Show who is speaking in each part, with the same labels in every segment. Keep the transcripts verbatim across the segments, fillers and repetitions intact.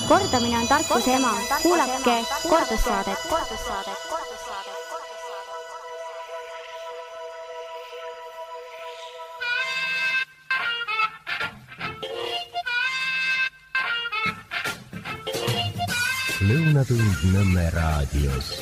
Speaker 1: Kordamine on tarkuse ema. Kuulake kordussaadet.
Speaker 2: Lõunatund Nõmme raadios.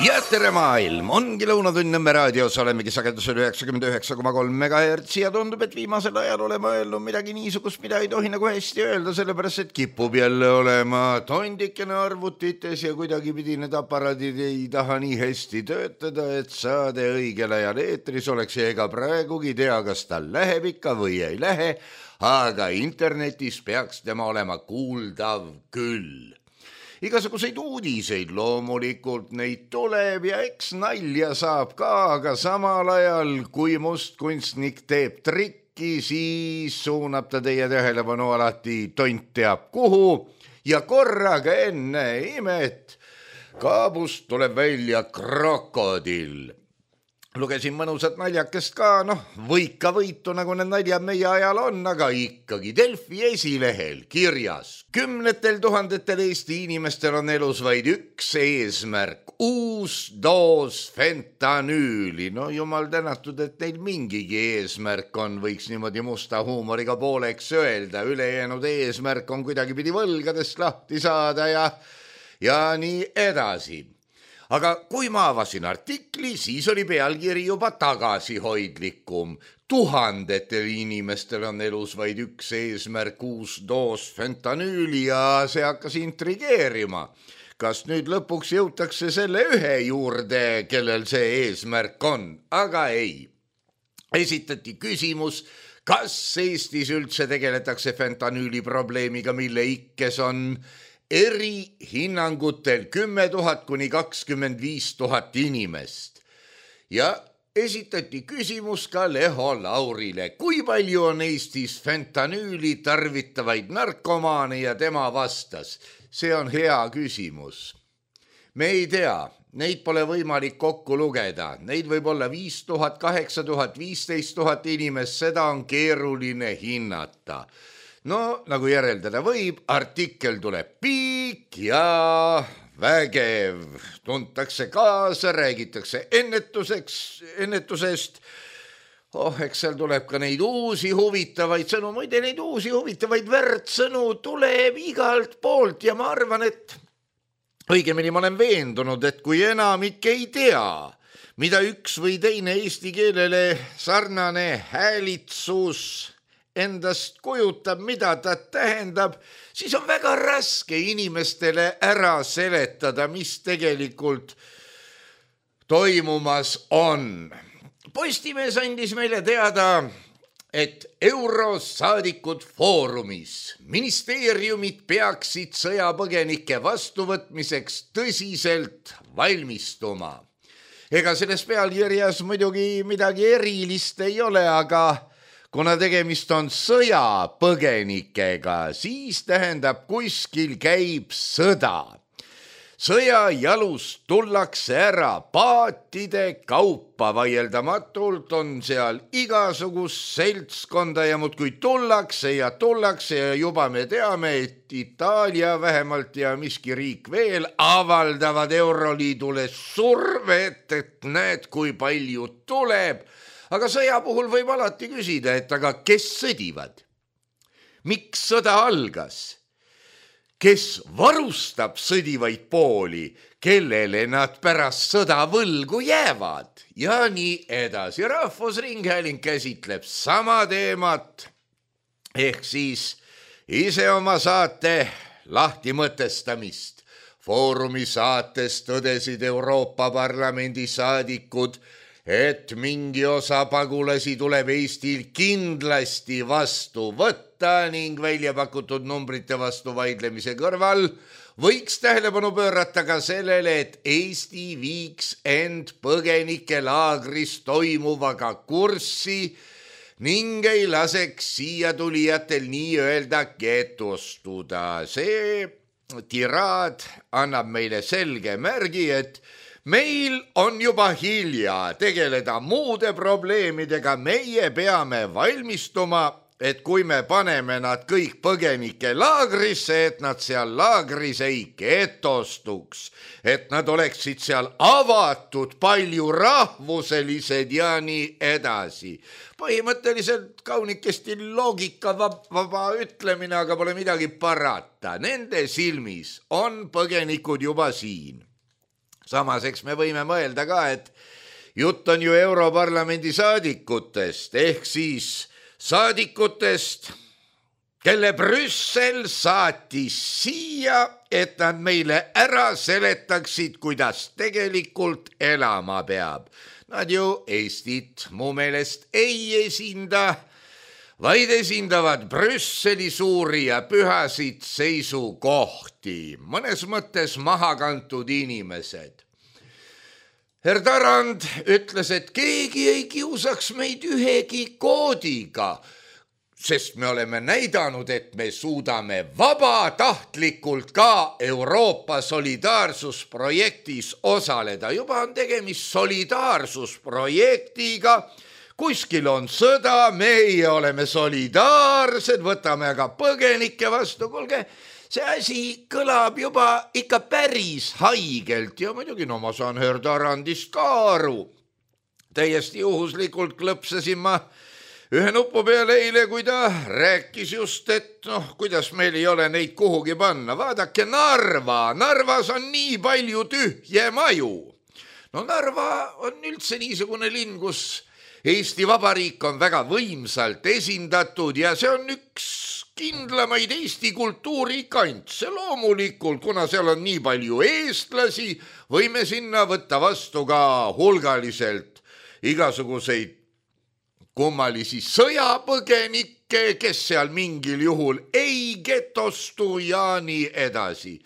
Speaker 3: Ja tere maailm, ongi Lõunatund Nõmme raadios, olemegi sagedusel üheksakümmend üheksa koma kolm megahertsi ja tundub, et viimasel ajal oleme öelnud midagi niisugust, mida ei tohi nagu hästi öelda, sellepärast et kipub jälle olema tondikene arvutites ja kuidagi pidi need aparaadid ei taha nii hästi töötada, et saade õigel ajal eetris oleks ja ega praegugi tea, kas tal läheb ikka või ei lähe, aga internetis peaks tema olema kuuldav küll. Igasuguseid uudiseid loomulikult neid tuleb ja eks nalja saab ka, aga samal ajal, kui mustkunstnik teeb trikki, siis suunab ta teie tähelepanu alati tont teab kuhu ja korraga enne imet kaabust tuleb välja krokodill. Lugesin mõnusat naljakest ka, noh, võika võitu, nagu need naljad meie ajal on, aga ikkagi Delfi esilehel kirjas. Kümnetel tuhandetel Eesti inimestel on elus vaid üks eesmärk, uus doos fentanüüli. No jumal tänatud, et neil mingigi eesmärk on, võiks niimoodi musta huumoriga pooleks öelda. Ülejäänud eesmärk on kuidagi pidi võlgadest lahti saada ja, ja nii edasi. Aga kui ma avasin artikli, siis oli pealkiri juba tagasihoidlikum. Tuhandetel inimestel on elus vaid üks eesmärk, uus doos fentanüüli ja see hakkas intrigeerima. Kas nüüd lõpuks jõutakse selle ühe juurde, kellel see eesmärk on? Aga ei. Esitati küsimus, kas Eestis üldse tegeletakse fentanüüli probleemiga, mille ikkes on eri hinnangutel kümme tuhat kuni kakskümmend viis tuhat inimest. Ja esitati küsimus ka Leho Laurile, kui palju on Eestis fentanüüli tarvitavaid narkomaane ja tema vastas. See on hea küsimus. Me ei tea, neid pole võimalik kokku lugeda. Neid võib olla viis tuhat, kaheksa tuhat, viisteist tuhat inimest, seda on keeruline hinnata. No, nagu järeldada võib, artikkel tuleb piik ja vägev. Tuntakse kaasa, räägitakse ennetuseks, ennetusest. Oh, eks seal tuleb ka neid uusi huvitavaid sõnu. Muide, neid uusi huvitavaid värtsõnu tuleb igalt poolt ja ma arvan, et õigemini ma olen veendunud, et kui enamik ei tea, mida üks või teine eesti keelele sarnane häälitsus endast kujutab, mida ta tähendab, siis on väga raske inimestele ära seletada, mis tegelikult toimumas on. Postimees andis meile teada, et Eurosaadikud foorumis ministeeriumid peaksid sõjapõgenike vastuvõtmiseks tõsiselt valmistuma. Ega selles pealkirjas muidugi midagi erilist ei ole, aga kuna tegemist on sõjapõgenikega, siis tähendab kuskil käib sõda. Sõja jalust tullakse ära paatide kaupa, vaieldamatult on seal igasugust seltskonda ja muudkui tullakse ja tullakse ja juba me teame, et Itaalia vähemalt ja miski riik veel avaldavad Euroliidule survet, et näed, kui palju tuleb. Aga sõja puhul võib alati küsida, et aga kes sõdivad? Miks sõda algas? Kes varustab sõdivaid pooli, kellele nad pärast sõda võlgu jäävad? Ja nii edasi. Rahvusringhääling käsitleb sama teemat, ehk siis ise oma saate lahtimõtestamist. Foorumi saates tõdesid Euroopa Parlamendi saadikud, et mingi osa pagulasi tuleb Eestil kindlasti vastu võtta ning välja pakutud numbrite vastu vaidlemise kõrval võiks tähelepanu pöörata ka sellele, et Eesti viiks end põgenikelaagris toimuvaga kurssi ning ei laseks siia tulijatel nii-öelda getostuda. See tiraad annab meile selge märgi, et meil on juba hilja tegeleda muude probleemidega, meie peame valmistuma et kui me paneme nad kõik põgenike laagrisse, et nad seal laagris ei getostuks, et nad oleksid seal avatud, palju rahvuselised ja nii edasi. Põhimõtteliselt kaunikesti loogika vaba ütlemine, aga pole midagi parata. Nende silmis on põgenikud juba siin. Samas, eks me võime mõelda ka, et jutt on ju Europarlamendi saadikutest, ehk siis saadikutest, kelle Brüssel saatis siia, et nad meile ära seletaksid, kuidas tegelikult elama peab. Nad ju Eestit mu meelest ei esinda, vaid esindavad Brüsseli suuri ja pühasid seisukohti, mõnes mõttes mahakantud inimesed. Herr Tarand ütles, et keegi ei kiusaks meid ühegi koodiga, sest me oleme näidanud, et me suudame vabatahtlikult ka Euroopa solidaarsusprojektis osaleda. Juba on tegemist solidaarsusprojektiga, kuskil on sõda, meie oleme solidaarsed, võtame aga põgenikke vastu. Kuulge, see asi kõlab juba ikka päris haigelt ja muidugi no ma saan Herr Tarandist ka aru. Täiesti juhuslikult klõpsasin ma ühe nupu peale eile, kui ta rääkis just, et noh, kuidas meil ei ole neid kuhugi panna. Vaadake Narva, Narvas on nii palju tühje maju. No Narva on üldse niisugune linn, kus Eesti Vabariik on väga võimsalt esindatud ja see on üks kindlamaid Eesti kultuurikantse. Loomulikult, kuna seal on nii palju eestlasi, võime sinna võtta vastu ka hulgaliselt igasuguseid kummalisi sõjapõgenikke, kes seal mingil juhul ei getostu ja nii edasi.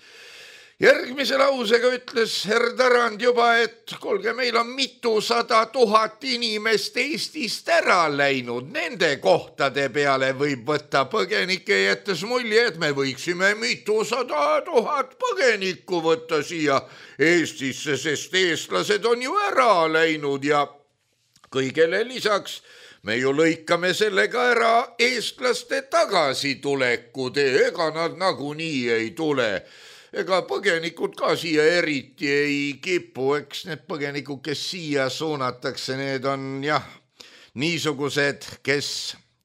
Speaker 3: Järgmise lausega ütles Herr Tarand juba, et kuulge, meil on mitusada tuhat inimest Eestist ära läinud. Nende kohtade peale võib võtta põgenike, jättes mulje, et me võiksime mitusada tuhat põgenikku võtta siia Eestisse, sest eestlased on ju ära läinud ja kõigele lisaks me ju lõikame sellega ära eestlaste tagasituleku tee, ega nad nagunii ei tule. Ega põgenikud ka siia eriti ei kipu, eks need põgenikud, kes siia suunatakse, need on jah, niisugused, kes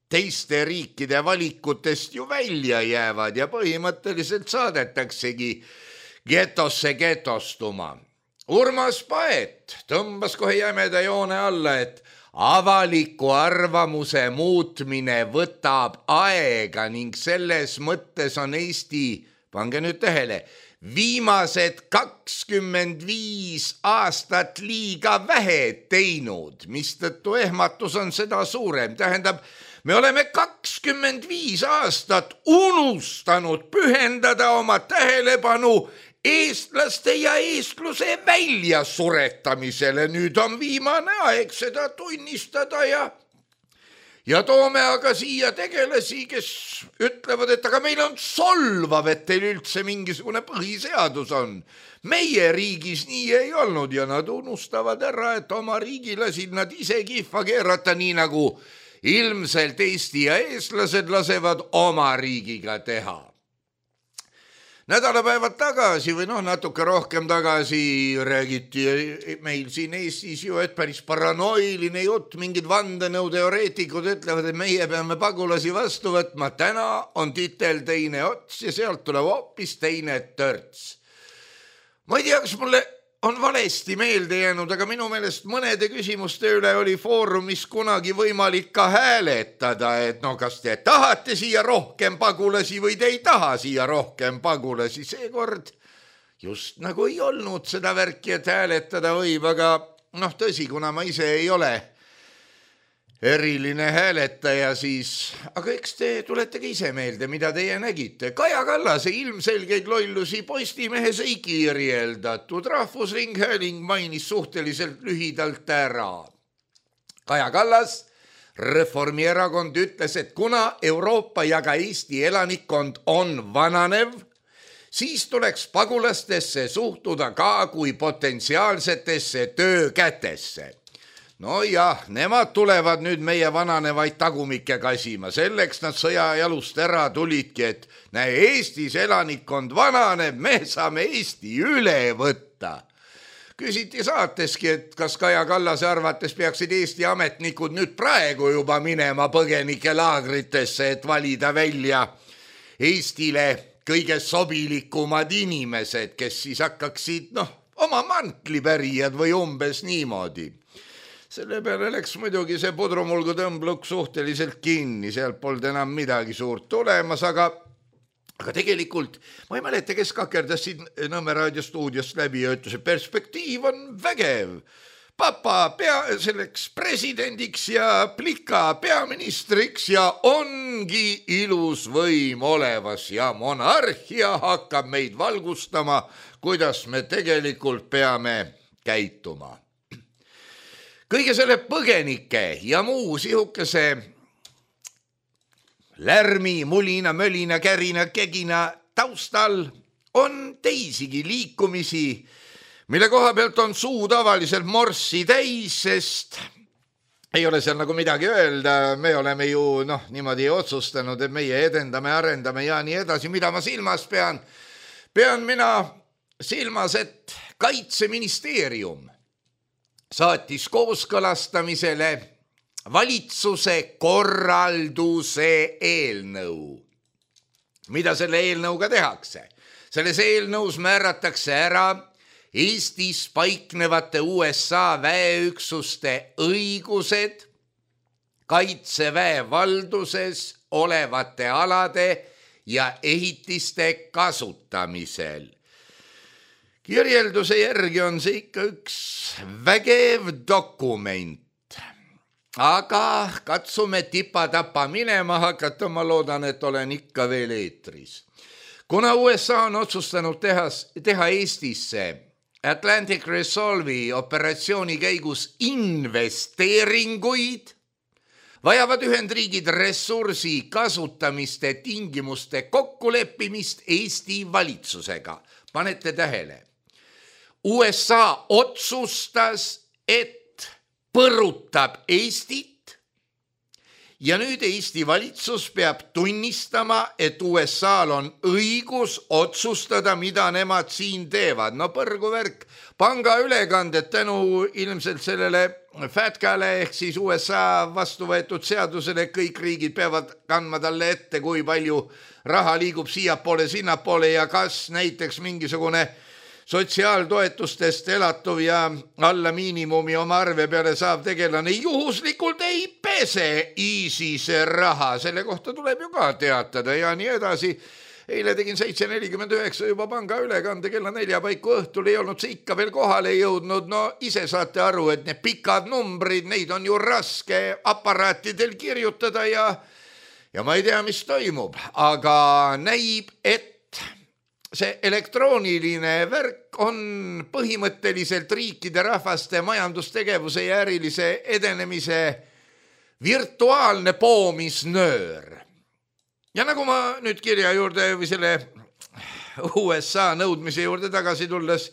Speaker 3: teiste riikide valikutest ju välja jäävad ja põhimõtteliselt saadetaksegi getosse getostuma. Urmas Paet tõmbas kohe jämeda joone alla, et avaliku arvamuse muutmine võtab aega ning selles mõttes on Eesti, pange nüüd tähele, viimased kakskümmend viis aastat liiga vähe teinud, mistõttu ehmatus on seda suurem. Tähendab, me oleme kakskümmend viis aastat unustanud pühendada oma tähelepanu eestlaste ja eestluse väljasuretamisele. Nüüd on viimane aeg seda tunnistada ja, ja toome aga siia tegelasi, kes ütlevad, et aga meil on solvav, et teil üldse mingisugune põhiseadus on. Meie riigis nii ei olnud ja nad unustavad ära, et oma riigi lasid nad ise kihva keerata, nii nagu ilmselt Eesti ja eestlased lasevad oma riigiga teha. Nädalapäevad tagasi või noh, natuke rohkem tagasi räägiti meil siin Eestis ju, et päris paranoiline jutt, mingid vandenõuteoreetikud ütlevad, et meie peame pagulasi vastu võtma. Täna on titel teine ots ja sealt tuleb hoopis teine törts. Ma ei tea, kas mulle on valesti meelde jäänud, aga minu meelest mõnede küsimuste üle oli foorumis kunagi võimalik ka hääletada, et no kas te tahate siia rohkem pagulasi või te ei taha siia rohkem pagulasi. Seekord just nagu ei olnud seda värki, et hääletada võib, aga noh tõsi, kuna ma ise ei ole eriline hääletaja, siis aga eks te tuletegi ise meelde, mida teie nägite. Kaja Kallase ilmselgeid lollusi Postimehes ei kirjeldatud. Rahvusringhääling mainis suhteliselt lühidalt ära. Kaja Kallas, Reformierakond, ütles, et kuna Euroopa ja ka Eesti elanikkond on vananev, siis tuleks pagulastesse suhtuda ka kui potentsiaalsetesse töökätesse. no jah, nemad tulevad nüüd meie vananevaid tagumikke kasima, selleks nad sõja jalust ära tulidki, et näe, Eestis elanikkond vananeb, me saame Eesti üle võtta. Küsiti saateski, et kas Kaja Kallase arvates peaksid Eesti ametnikud nüüd praegu juba minema põgenike laagritesse, et valida välja Eestile kõige sobilikumad inimesed, kes siis hakkaksid, noh, oma mantlipärijad või umbes niimoodi. Selle peale läks muidugi see pudrumulgu tõmbluk suhteliselt kinni, sealt polnud enam midagi suurt tulemas, aga, aga tegelikult ma ei mäleta, kes kakerdas siin Nõmme raadiostuudiost läbi ja ütles, et perspektiiv on vägev. Papa pea selleks presidendiks ja plika peaministriks ja ongi ilus võim olevas ja monarhia hakkab meid valgustama, kuidas me tegelikult peame käituma. Kõige selle põgenike ja muu sihukese lärmi, mulina, mölina, kärina, kegina taustal on teisigi liikumisi, mille koha pealt on suu tavaliselt morssi täis, sest ei ole seal nagu midagi öelda, me oleme ju noh, niimoodi otsustanud, et meie edendame, arendame ja nii edasi, mida ma silmas pean. Pean mina silmas, et Kaitseministeerium saatis kooskõlastamisele valitsuse korralduse eelnõu. Mida selle eelnõuga tehakse? Selles eelnõus määratakse ära Eestis paiknevate U S A väeüksuste õigused Kaitseväe valduses olevate alade ja ehitiste kasutamisel. Kirjelduse järgi on see ikka üks vägev dokument, aga katsume tipa-tapa minema hakata, ma loodan, et olen ikka veel eetris. Kuna U S A on otsustanud teha, teha Eestisse Atlantic Resolve'i operatsiooni käigus investeeringuid, vajavad Ühendriigid ressursi kasutamiste tingimuste kokkuleppimist Eesti valitsusega. Panete tähele. U S A otsustas, et põrutab Eestit ja nüüd Eesti valitsus peab tunnistama, et U S A-l on õigus otsustada, mida nemad siin teevad. No põrgu värk, panga ülekanded tänu ilmselt sellele FATCA-le ehk siis U S A vastu võetud seadusele, kõik riigid peavad kandma talle ette, kui palju raha liigub siiapoole, sinnapoole ja kas näiteks mingisugune sotsiaaltoetustest elatuv ja alla miinimumi oma arve peale saab tegelane juhuslikult ei pese ISISe raha. Selle kohta tuleb ju ka teatada ja nii edasi. Eile tegin seitse nelikümmend üheksa juba panga ülekande kella nelja paiku õhtul, ei olnud see ikka veel kohale jõudnud. No ise saate aru, et need pikad numbrid, neid on ju raske aparaatidel kirjutada ja, ja ma ei tea, mis toimub, aga näib, et see elektrooniline värk on põhimõtteliselt riikide rahvaste majandustegevuse ja ärilise edenemise virtuaalne poomisnöör. Ja nagu ma nüüd kirja juurde või selle U S A nõudmise juurde tagasi tulles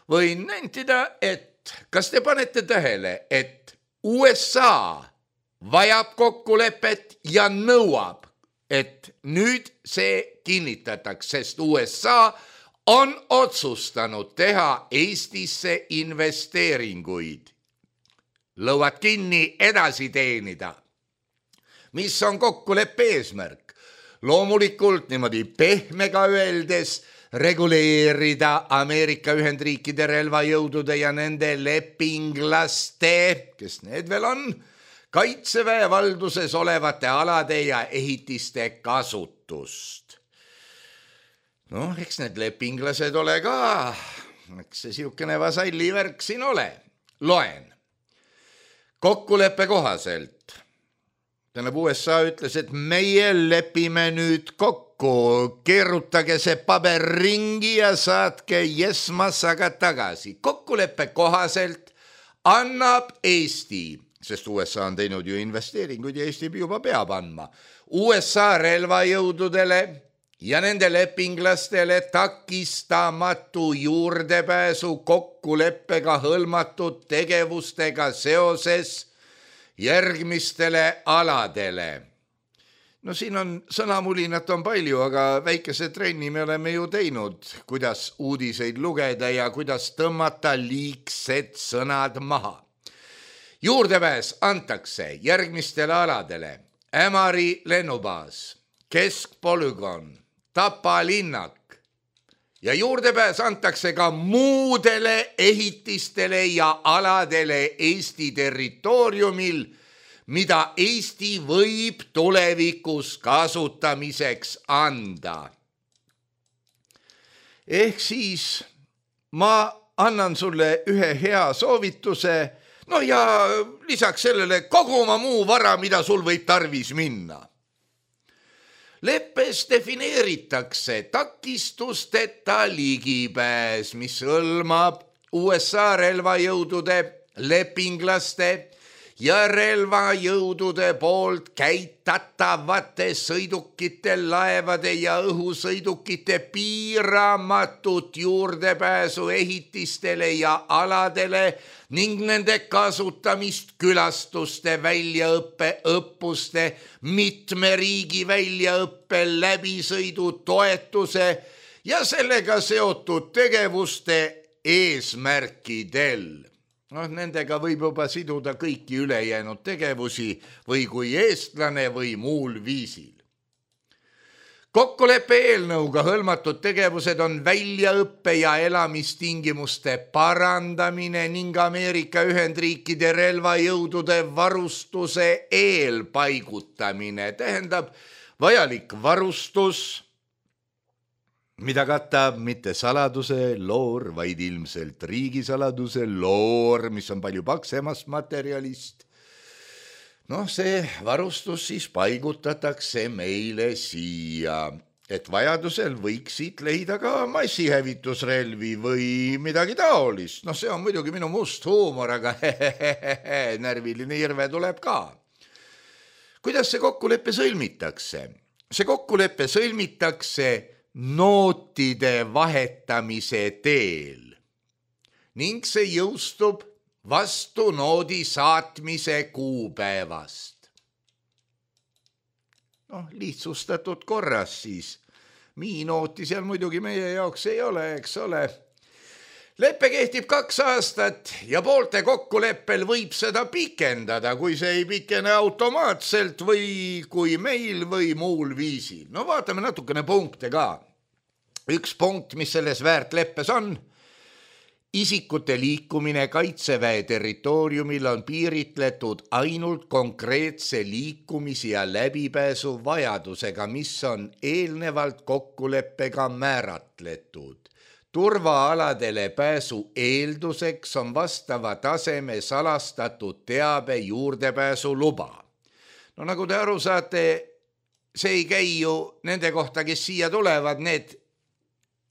Speaker 3: võin nentida, et kas te panete tähele, et U S A vajab kokkulepet ja nõuab, et nüüd see kinnitataks, sest U S A on otsustanud teha Eestisse investeeringuid. Lõuad kinni edasi teenida. Mis on kokkuleppe eesmärk? Loomulikult niimoodi pehmega öeldes reguleerida Ameerika Ühendriikide relvajõudude ja nende lepinglaste, kes need veel on, Kaitseväe valduses olevate alade ja ehitiste kasutust. Noh, eks need lepinglased ole ka, eks see siukene vasalli värk siin ole. Loen. Kokkuleppe kohaselt. Tähendab, U S A ütles, et meie lepime nüüd kokku, keerutage see paber ringi ja saatke jesmassaga tagasi. Kokkuleppe kohaselt annab Eesti, sest U S A on teinud ju investeeringuid ja Eesti juba peab andma, U S A relvajõududele ja nende lepinglastele takistamatu juurdepääsu kokkuleppega hõlmatud tegevustega seoses järgmistele aladele. No siin on sõnamulinat on palju, aga väikese trenni me oleme ju teinud, kuidas uudiseid lugeda ja kuidas tõmmata liigsed sõnad maha. Juurdepääs antakse järgmistele aladele: Ämari lennubaas, keskpolügoon, Tapa linnak ja juurdepääs antakse ka muudele ehitistele ja aladele Eesti territooriumil, mida Eesti võib tulevikus kasutamiseks anda. Ehk siis ma annan sulle ühe hea soovituse, no ja lisaks sellele kogu oma muu vara, mida sul võib tarvis minna. Leppes defineeritakse takistusteta ligipääs, mis hõlmab U S A relvajõudude, lepinglaste ja relvajõudude poolt käitatavate sõidukite, laevade ja õhusõidukite piiramatut juurdepääsu ehitistele ja aladele ning nende kasutamist külastuste, väljaõppe, õppuste, mitme riigi väljaõppe, läbisõidu, toetuse ja sellega seotud tegevuste eesmärkidel. No, nendega võib juba siduda kõiki ülejäänud tegevusi või kui eestlane või muul viisil. Kokkuleppe eelnõuga hõlmatud tegevused on väljaõppe ja elamistingimuste parandamine ning Ameerika Ühendriikide relvajõudude varustuse eelpaigutamine. Tähendab vajalik varustus, mida katab mitte saladuse loor, vaid ilmselt riigisaladuse loor, mis on palju paksemast materjalist. No see varustus siis paigutatakse meile siia, et vajadusel võiks siit leida ka massihävitusrelvi või midagi taolist. No see on muidugi minu must huumor, aga hehehehe, närviline irve tuleb ka. Kuidas see kokkulepe sõlmitakse? See kokkulepe sõlmitakse nootide vahetamise teel ning see jõustub vastu noodi saatmise kuupäevast. noh, lihtsustatud korras siis. Miinooti seal muidugi meie jaoks ei ole, eks ole. Leppe kehtib kaks aastat ja poolte kokkuleppel võib seda pikendada, kui see ei pikene automaatselt või kui meil või muul viisil. No vaatame natukene punkte ka. Üks punkt, mis selles väärt leppes on, isikute liikumine Kaitseväe territooriumil on piiritletud ainult konkreetse liikumise ja läbipääsu vajadusega, mis on eelnevalt kokkuleppega määratletud. Turvaaladele pääsu eelduseks on vastava taseme salastatud teabe juurdepääsu luba. No nagu te aru saate, see ei käi ju nende kohta, kes siia tulevad, need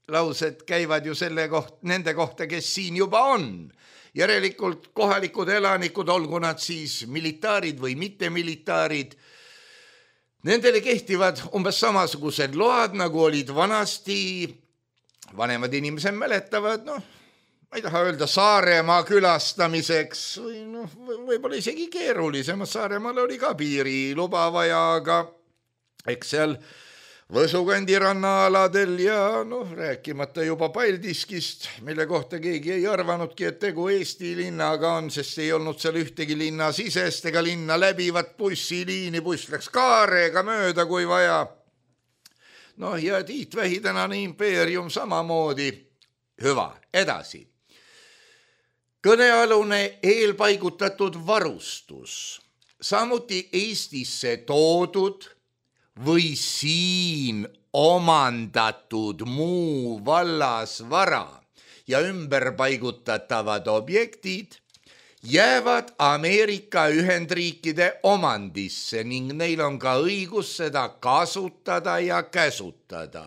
Speaker 3: laused käivad ju selle koht, nende kohta, kes siin juba on. Järelikult kohalikud elanikud, olgu nad siis militaarid või mitte militaarid, nendele kehtivad umbes samasugused load, nagu olid vanasti. Vanemad inimesed mäletavad, noh, ma ei taha öelda Saaremaa külastamiseks, või noh, võib-olla isegi keerulisem. Saaremaal oli ka piiriluba vaja, aga eks seal Võsukandi rannaaladel ja noh, rääkimata juba Paldiskist, mille kohta keegi ei arvanudki, et tegu Eesti linnaga on, sest ei olnud seal ühtegi linna sisest ega linna läbivat bussiliini, buss läks Kaarega mööda, kui vaja. Noh, ja Tiit Vähi tänane impeerium samamoodi. Hüva, edasi. Kõnealune eelpaigutatud varustus, samuti Eestisse toodud või siin omandatud muu vallas vara ja ümberpaigutatavad objektid jäävad Ameerika Ühendriikide omandisse ning neil on ka õigus seda kasutada ja käsutada.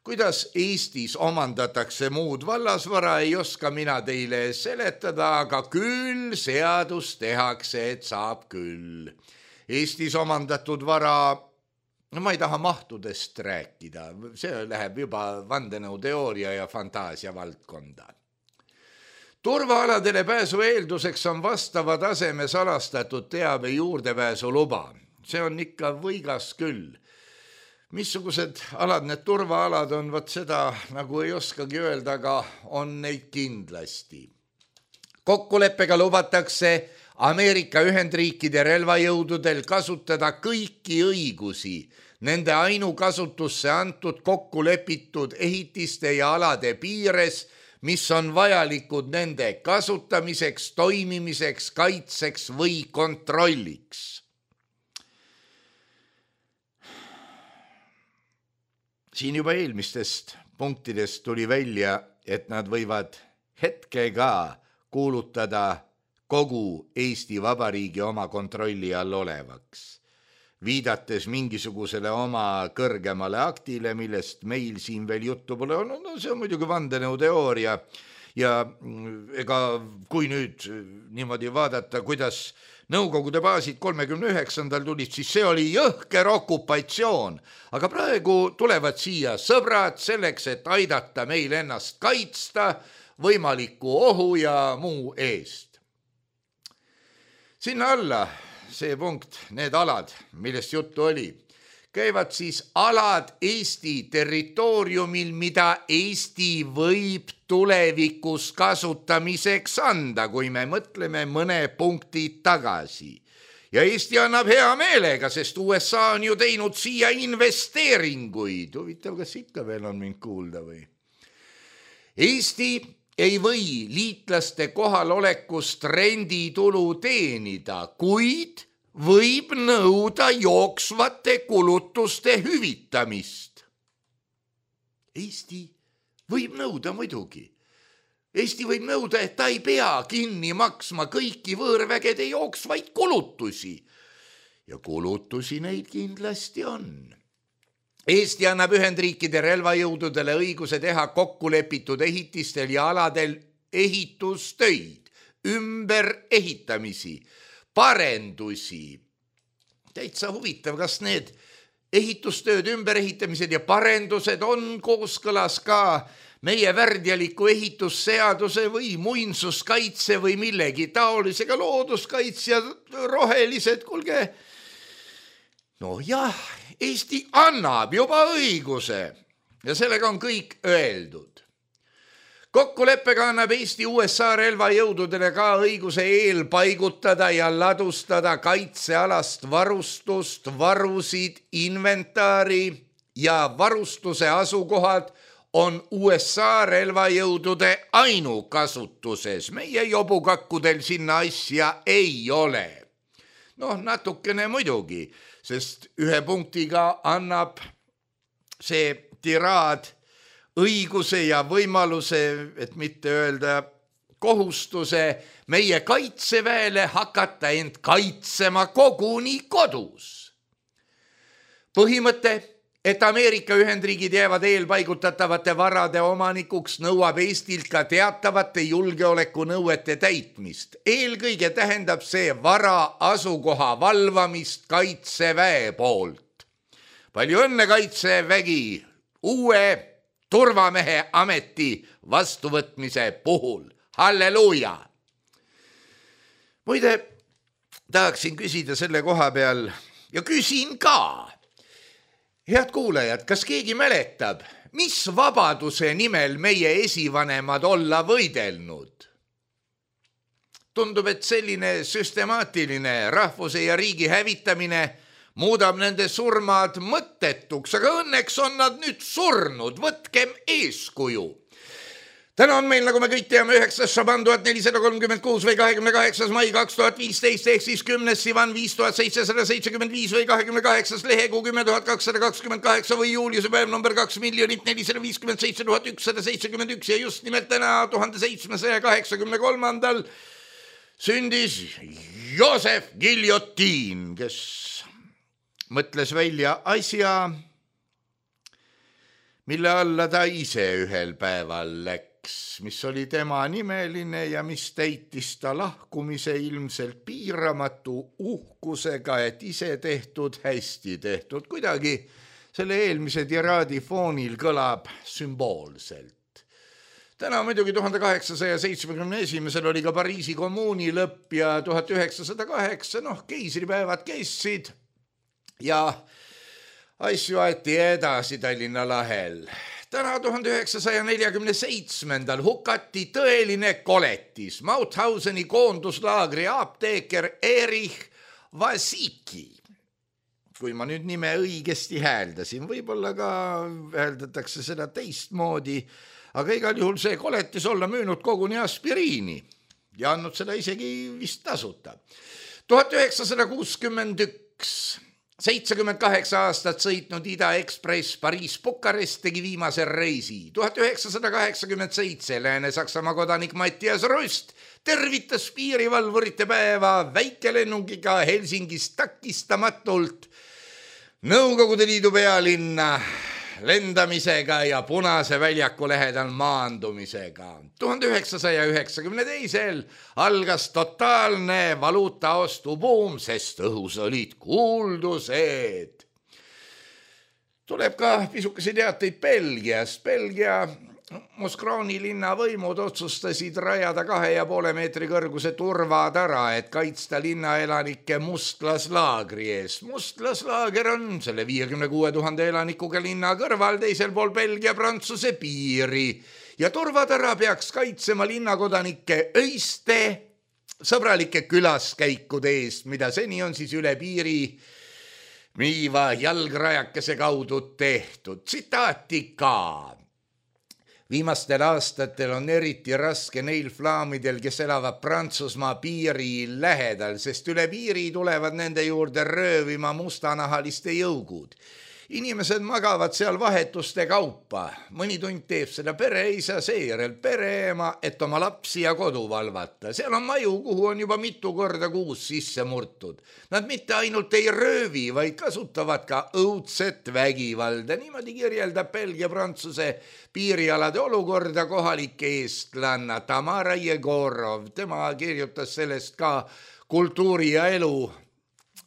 Speaker 3: Kuidas Eestis omandatakse muud vallasvara, ei oska mina teile seletada, aga küll seadus tehakse, et saab küll. Eestis omandatud vara no ma ei taha mahtudest rääkida, see läheb juba vandenõuteooria ja fantaasia valdkonda. Turvaaladele pääsu eelduseks on vastava taseme salastatud teabe juurdepääsu luba. See on ikka võigas küll. Missugused alad need turvaalad on, võt seda nagu ei oskagi öelda, aga on neid kindlasti. Kokkuleppega lubatakse Ameerika Ühendriikide relvajõududel kasutada kõiki õigusi nende ainukasutusse antud kokkulepitud ehitiste ja alade piires, mis on vajalikud nende kasutamiseks, toimimiseks, kaitseks või kontrolliks. Siin juba eelmistest punktidest tuli välja, et nad võivad hetkega kuulutada kogu Eesti Vabariigi oma kontrolli all olevaks, viidates mingisugusele oma kõrgemale aktile, millest meil siin veel juttu pole olnud. No see on muidugi vandenõuteooria ja ega kui nüüd niimoodi vaadata, kuidas Nõukogude baasid kolmekümne üheksandal tulid, siis see oli jõhker okupatsioon, aga praegu tulevad siia sõbrad selleks, et aidata meil ennast kaitsta võimaliku ohu ja muu eest. Sinna alla see punkt, need alad, millest juttu oli, käivad siis alad Eesti territooriumil, mida Eesti võib tulevikus kasutamiseks anda, kui me mõtleme mõne punkti tagasi. Ja Eesti annab hea meelega, sest U S A on ju teinud siia investeeringuid. Huvitav, kas ikka veel on mind kuulda või? Eesti ei või liitlaste kohalolekust renditulu teenida, kuid võib nõuda jooksvate kulutuste hüvitamist. Eesti võib nõuda muidugi. Eesti võib nõuda, et ta ei pea kinni maksma kõiki võõrvägede jooksvaid kulutusi. Ja kulutusi neid kindlasti on. Eesti annab Ühendriikide relvajõududele õiguse teha kokkulepitud ehitistel ja aladel ehitustöid, ümber ehitamisi, parendusi. Täitsa huvitav, kas need ehitustööd, ümberehitamised ja parendused on kooskõlas ka meie värdjaliku ehitusseaduse või muinsuskaitse või millegi taolisega, looduskaitsjad, rohelised, kuulge. No jah, Eesti annab juba õiguse ja sellega on kõik öeldud. Kokkuleppega annab Eesti U S A relvajõududele ka õiguse eelpaigutada ja ladustada kaitsealast varustust, varusid, inventaari ja varustuse asukohad on U S A relvajõudude ainukasutuses. Meie jobukakkudel sinna asja ei ole. Noh, natukene muidugi, sest ühe punktiga annab see tiraad õiguse ja võimaluse, et mitte öelda kohustuse meie kaitseväele hakata end kaitsema koguni kodus. Põhimõte, et Ameerika Ühendriigid jäävad eelpaigutatavate varade omanikuks, nõuab Eestilt ka teatavate julgeolekunõuete täitmist. Eelkõige tähendab see vara asukoha valvamist kaitseväe poolt. Palju õnne, kaitsevägi, uue turvamehe ameti vastuvõtmise puhul. Halleluuja! Muide, tahaksin küsida selle koha peal ja küsin ka. Head kuulajad, kas keegi mäletab, mis vabaduse nimel meie esivanemad olla võidelnud? Tundub, et selline süstemaatiline rahvuse ja riigi hävitamine muudab nende surmad mõttetuks, aga õnneks on nad nüüd surnud, võtkem eeskuju. Täna on meil, nagu me kõik teame, üheksas Šaban tuhat nelisada kolmkümmend kuus või kahekümne kaheksas mai kaks tuhat viisteist ehk siis kümnes Sivan viis tuhat seitsesada seitsekümmend viis või kahekümne kaheksas lehekuu kümme tuhat kakssada kakskümmend kaheksa või juuliuse päev number kaks miljonit nelisada viiskümmend seitse tuhat ükssada seitsekümmend üks ja just nimelt täna tuhande seitsmesaja kaheksakümne kolmandal sündis Joosef Giljotiin, kes mõtles välja asja, mille alla ta ise ühel päeval läks. X, mis oli tema nimeline ja mis täitis ta lahkumise ilmselt piiramatu uhkusega, et ise tehtud, hästi tehtud. Kuidagi selle eelmise tiraadi foonil kõlab sümboolselt. Täna muidugi tuhande kaheksasaja seitsmekümne esimesel oli ka Pariisi kommuuni lõpp ja tuhat üheksasada kaheksa, noh, keisripäevad kestsid ja asju aeti edasi Tallinna lahel. Täna tuhande üheksasaja neljakümne seitsmendal hukati tõeline koletis, Mauthauseni koonduslaagri apteeker Erich Vasiki. Kui ma nüüd nime õigesti hääldasin, võib-olla ka hääldatakse seda teistmoodi, aga igal juhul see koletis olla müünud koguni aspiriini ja andnud seda isegi vist tasuta. tuhat üheksasada kuuskümmend üks seitsekümmend kaheksa aastat sõitnud Ida Ekspress Pariis-Bukarest tegi viimase reisi. tuhat üheksasada kaheksakümmend seitse Lääne-Saksamaa kodanik Mattias Rust tervitas piirivalvurite päeva väikelennungiga Helsingist takistamatult Nõukogude Liidu pealinna lendamisega ja Punase väljaku lähedal maandumisega. tuhande üheksasaja üheksakümne teisel algas totaalne valuutaostubuum, sest õhus olid kuuldused. Tuleb ka pisukese teateid Belgiast. Belgia Moskrooni linna võimud otsustasid rajada kahe ja poole meetri kõrguse turvatara, et kaitsta linnaelanike mustlaslaagri ees. Mustlaslaager on selle viiekümne kuue tuhande elanikuga linna kõrval teisel pool Belgia-Prantsuse piiri ja turvatara peaks kaitsema linnakodanike öiste sõbralike külaskäikude eest, mida seni on siis üle piiri miiva jalgrajakese kaudu tehtud. Tsitaati ka. Viimastel aastatel on eriti raske neil flaamidel, kes elavad Prantsusmaa piiri lähedal, sest üle piiri tulevad nende juurde röövima mustanahaliste jõugud. Inimesed magavad seal vahetuste kaupa. Mõni tund teeb seda pereisa, seejärel pereema, et oma lapsi ja kodu valvata. Seal on maju, kuhu on juba mitu korda kuus sisse murtud. Nad mitte ainult ei röövi, vaid kasutavad ka õudset vägivalda. Niimoodi kirjeldab Belgia-Prantsuse piirialade olukorda kohalik eestlanna Tamara Jegorov. Tema kirjutas sellest ka Kultuuri ja elu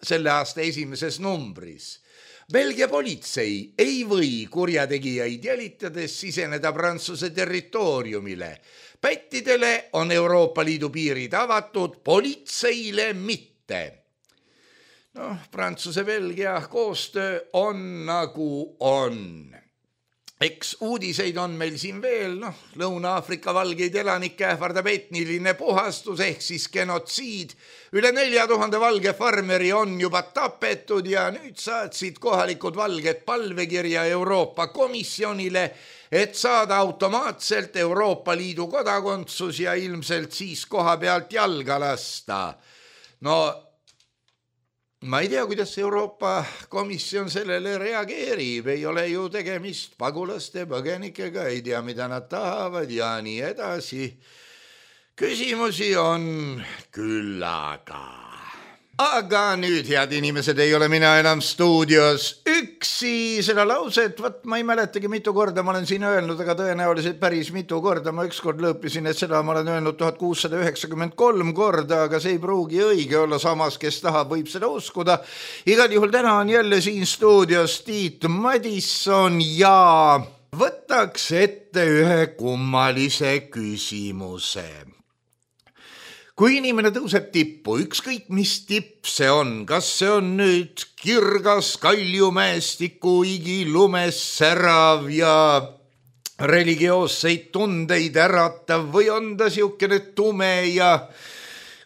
Speaker 3: selle aasta esimeses numbris. Belgia politsei ei või kurjategijaid jälitades siseneda Prantsuse territooriumile. Pättidele on Euroopa Liidu piirid avatud, politseile mitte. Noh, Prantsuse-Belgia koostöö on nagu on. Eks uudiseid on meil siin veel, noh, Lõuna-Aafrika valgeid elanikke ähvardab etniline puhastus ehk siis genotsiid. Üle nelja tuhande valge farmeri on juba tapetud ja nüüd saatsid kohalikud valged palvekirja Euroopa Komisjonile, et saada automaatselt Euroopa Liidu kodakondsus ja ilmselt siis koha pealt jalga lasta. No, ma ei tea, kuidas Euroopa Komisjon sellele reageerib, ei ole ju tegemist pagulaste põgenikega, ei tea, mida nad tahavad ja nii edasi. Küsimusi on küllaga. Aga nüüd, head inimesed, ei ole mina enam stuudios üksi. Seda lauset, võt, ma ei mäletagi mitu korda ma olen siin öelnud, aga tõenäoliselt päris mitu korda. Ma ükskord lõõpisin, et seda ma olen öelnud tuhat kuussada üheksakümmend kolm korda, aga see ei pruugi õige olla, samas kes tahab, võib seda uskuda. Igal juhul täna on jälle siin stuudios Tiit Madisson ja võtaks ette ühe kummalise küsimuse. Kui inimene tõuseb tippu, ükskõik mis tipp see on, kas see on nüüd kirgas kaljumäestiku igilumes särav ja religioosseid tundeid äratav või on ta siukene tume ja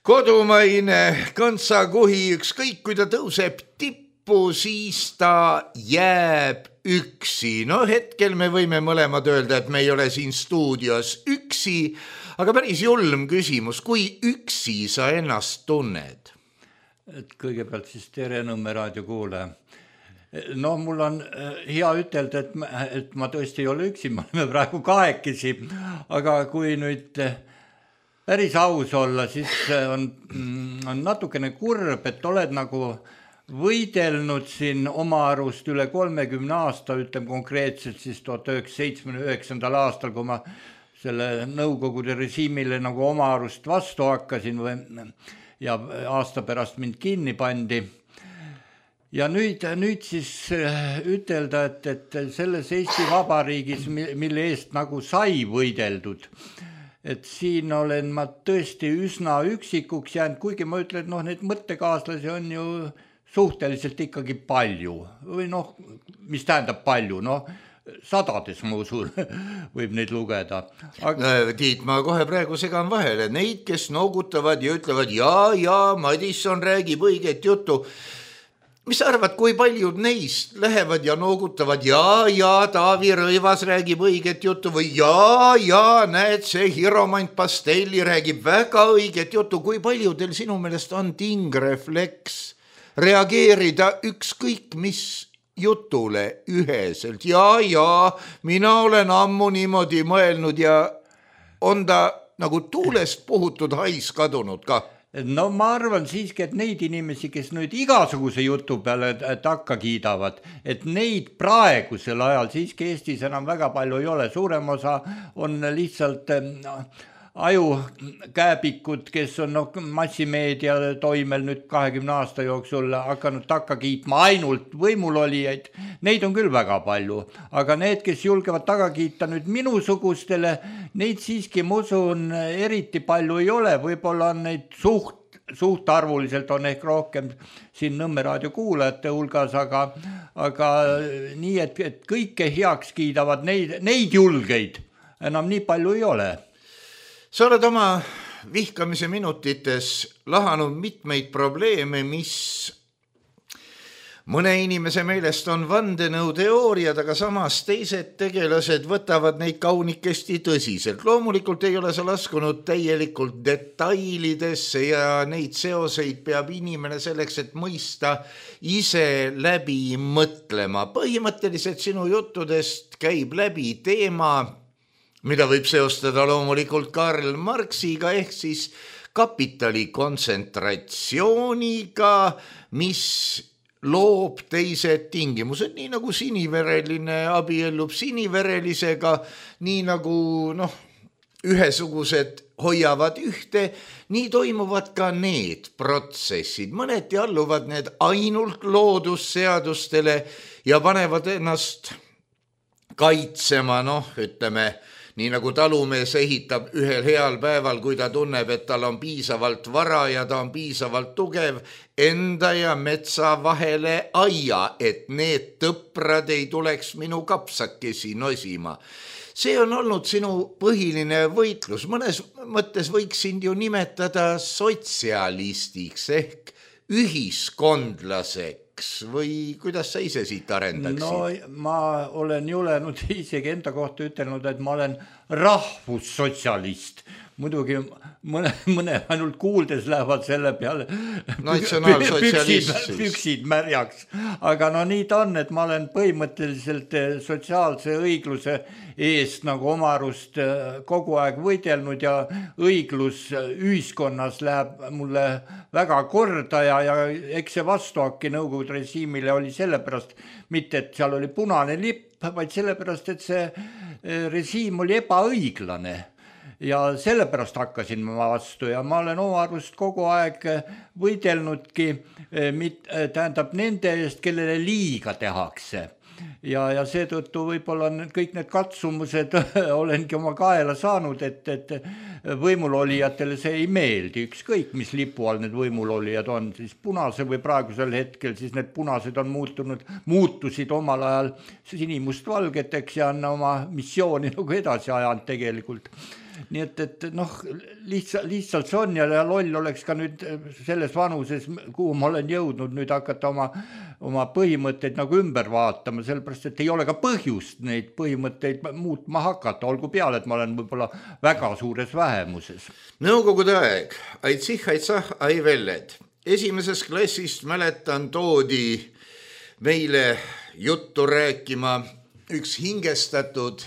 Speaker 3: kodumaine kõntsakuhi, ükskõik kui ta tõuseb tippu, siis ta jääb üksi. No hetkel me võime mõlemad öelda, et me ei ole siin stuudios üksi, aga päris julm küsimus, kui üksi sa ennast tunned?
Speaker 2: Et kõigepealt siis tere Nõmme raadio kuulaja. No mul on hea ütelda, et ma, et ma tõesti ei ole üksi, ma oleme praegu kahekesi, aga kui nüüd päris aus olla, siis on, on natukene kurb, et oled nagu võidelnud siin oma arust üle kolmekümne aasta, ütlem konkreetselt siis tuhat üheksasada seitsmekümne üheksandal aastal, kui ma selle Nõukogude režiimile nagu oma arust vastu hakkasin või, ja aasta pärast mind kinni pandi. Ja nüüd, nüüd siis ütelda, et, et selles Eesti Vabariigis, mille eest nagu sai võideldud, et siin olen ma tõesti üsna üksikuks jäänud, kuigi ma ütlen, et noh, need mõttekaaslasi on ju suhteliselt ikkagi palju või noh, mis tähendab palju, noh, sadades ma usun võib neid lugeda.
Speaker 3: Aga... Tiit, ma kohe praegu segan vahele. Neid, kes noogutavad ja ütlevad, jaa, jaa, Madisson räägib õiget juttu. Mis arvad, kui paljud neist lähevad ja noogutavad, jaa, jaa, Taavi Rõivas räägib õiget juttu või jaa, jaa, näed, see Hiromant Pastelli räägib väga õiget juttu. Kui paljudel sinu meelest on tingrefleks reageerida ükskõik mis jutule üheselt, jaa, jaa, mina olen ammu niimoodi mõelnud ja on ta nagu tuulest puhutud hais kadunud ka?
Speaker 2: No ma arvan siiski, et neid inimesi, kes nüüd igasuguse jutu peale takka kiidavad, et neid praegusel ajal siiski Eestis enam väga palju ei ole, suurem osa on lihtsalt no, ajukääbikud, kes on no, massimeedia toimel nüüd kahekümne aasta jooksul hakanud takka kiitma ainult võimulolijaid, neid on küll väga palju, aga need, kes julgevad taga kiita nüüd minusugustele, neid siiski ma usun eriti palju ei ole, võib-olla on neid suht, suhtarvuliselt on ehk rohkem siin Nõmme raadio kuulajate hulgas, aga, aga nii, et, et kõike heaks kiidavad, neid, neid julgeid enam nii palju ei ole.
Speaker 3: Sa oled oma vihkamise minutites lahanud mitmeid probleeme, mis mõne inimese meelest on vandenõuteooriad, aga samas teised tegelased võtavad neid kaunikesti tõsiselt. Loomulikult ei ole sa laskunud täielikult detailidesse ja neid seoseid peab inimene selleks, et mõista ise läbi mõtlema. Põhimõtteliselt sinu juttudest käib läbi teema, mida võib seostada loomulikult Karl Marxiga ehk siis kapitali kontsentratsiooniga, mis loob teised tingimused, nii nagu sinivereline abiellub siniverelisega, nii nagu noh, ühesugused hoiavad ühte, nii toimuvad ka need protsessid. Mõneti alluvad need ainult loodusseadustele ja panevad ennast kaitsema, noh, ütleme, nii nagu talumees ehitab ühel heal päeval, kui ta tunneb, et tal on piisavalt vara ja ta on piisavalt tugev, enda ja metsa vahele aia, et need tõprad ei tuleks minu kapsakesi nosima. See on olnud sinu põhiline võitlus. Mõnes mõttes võiks sind ju nimetada sotsialistiks ehk ühiskondlaseks või kuidas sa ise siit arendaksid?
Speaker 2: No ma olen julenud isegi enda kohta ütelnud, et ma olen rahvussotsialist. Muidugi mõne, mõne ainult kuuldes lähevad selle peale
Speaker 3: natsionaalsotsialist
Speaker 2: püksid, püksid märjaks. Aga no nii ta on, et ma olen põhimõtteliselt sotsiaalse õigluse eest nagu oma arust kogu aeg võidelnud ja õiglus ühiskonnas läheb mulle väga korda ja, ja eks see vastuhakki Nõukogude režiimile oli sellepärast, mitte et seal oli punane lipp, vaid sellepärast, et see režiim oli ebaõiglane. Ja sellepärast hakkasin ma vastu ja ma olen oma arust kogu aeg võidelnudki tähendab nende eest, kellele liiga tehakse. Ja, ja seetõttu võib-olla kõik need katsumused olengi oma kaela saanud, et, et võimulolijatele see ei meeldi. Ükskõik, mis lipu all need võimulolijad on, siis punase või praegusel hetkel, siis need punased on muutunud, muutusid omal ajal sinimust valgeteks ja on oma missiooni nagu edasi ajanud tegelikult. Nii et, et noh, lihtsalt, lihtsalt see on ja loll oleks ka nüüd selles vanuses, kuhu ma olen jõudnud nüüd hakata oma, oma põhimõtteid nagu ümber vaatama, sellepärast, et ei ole ka põhjust neid põhimõtteid muutma hakata, olgu peale, et ma olen võib-olla väga suures vähemuses.
Speaker 3: Nõukogude aeg, aitsih, aitsah, ai velled. Esimeses klassist mäletan toodi meile juttu rääkima üks hingestatud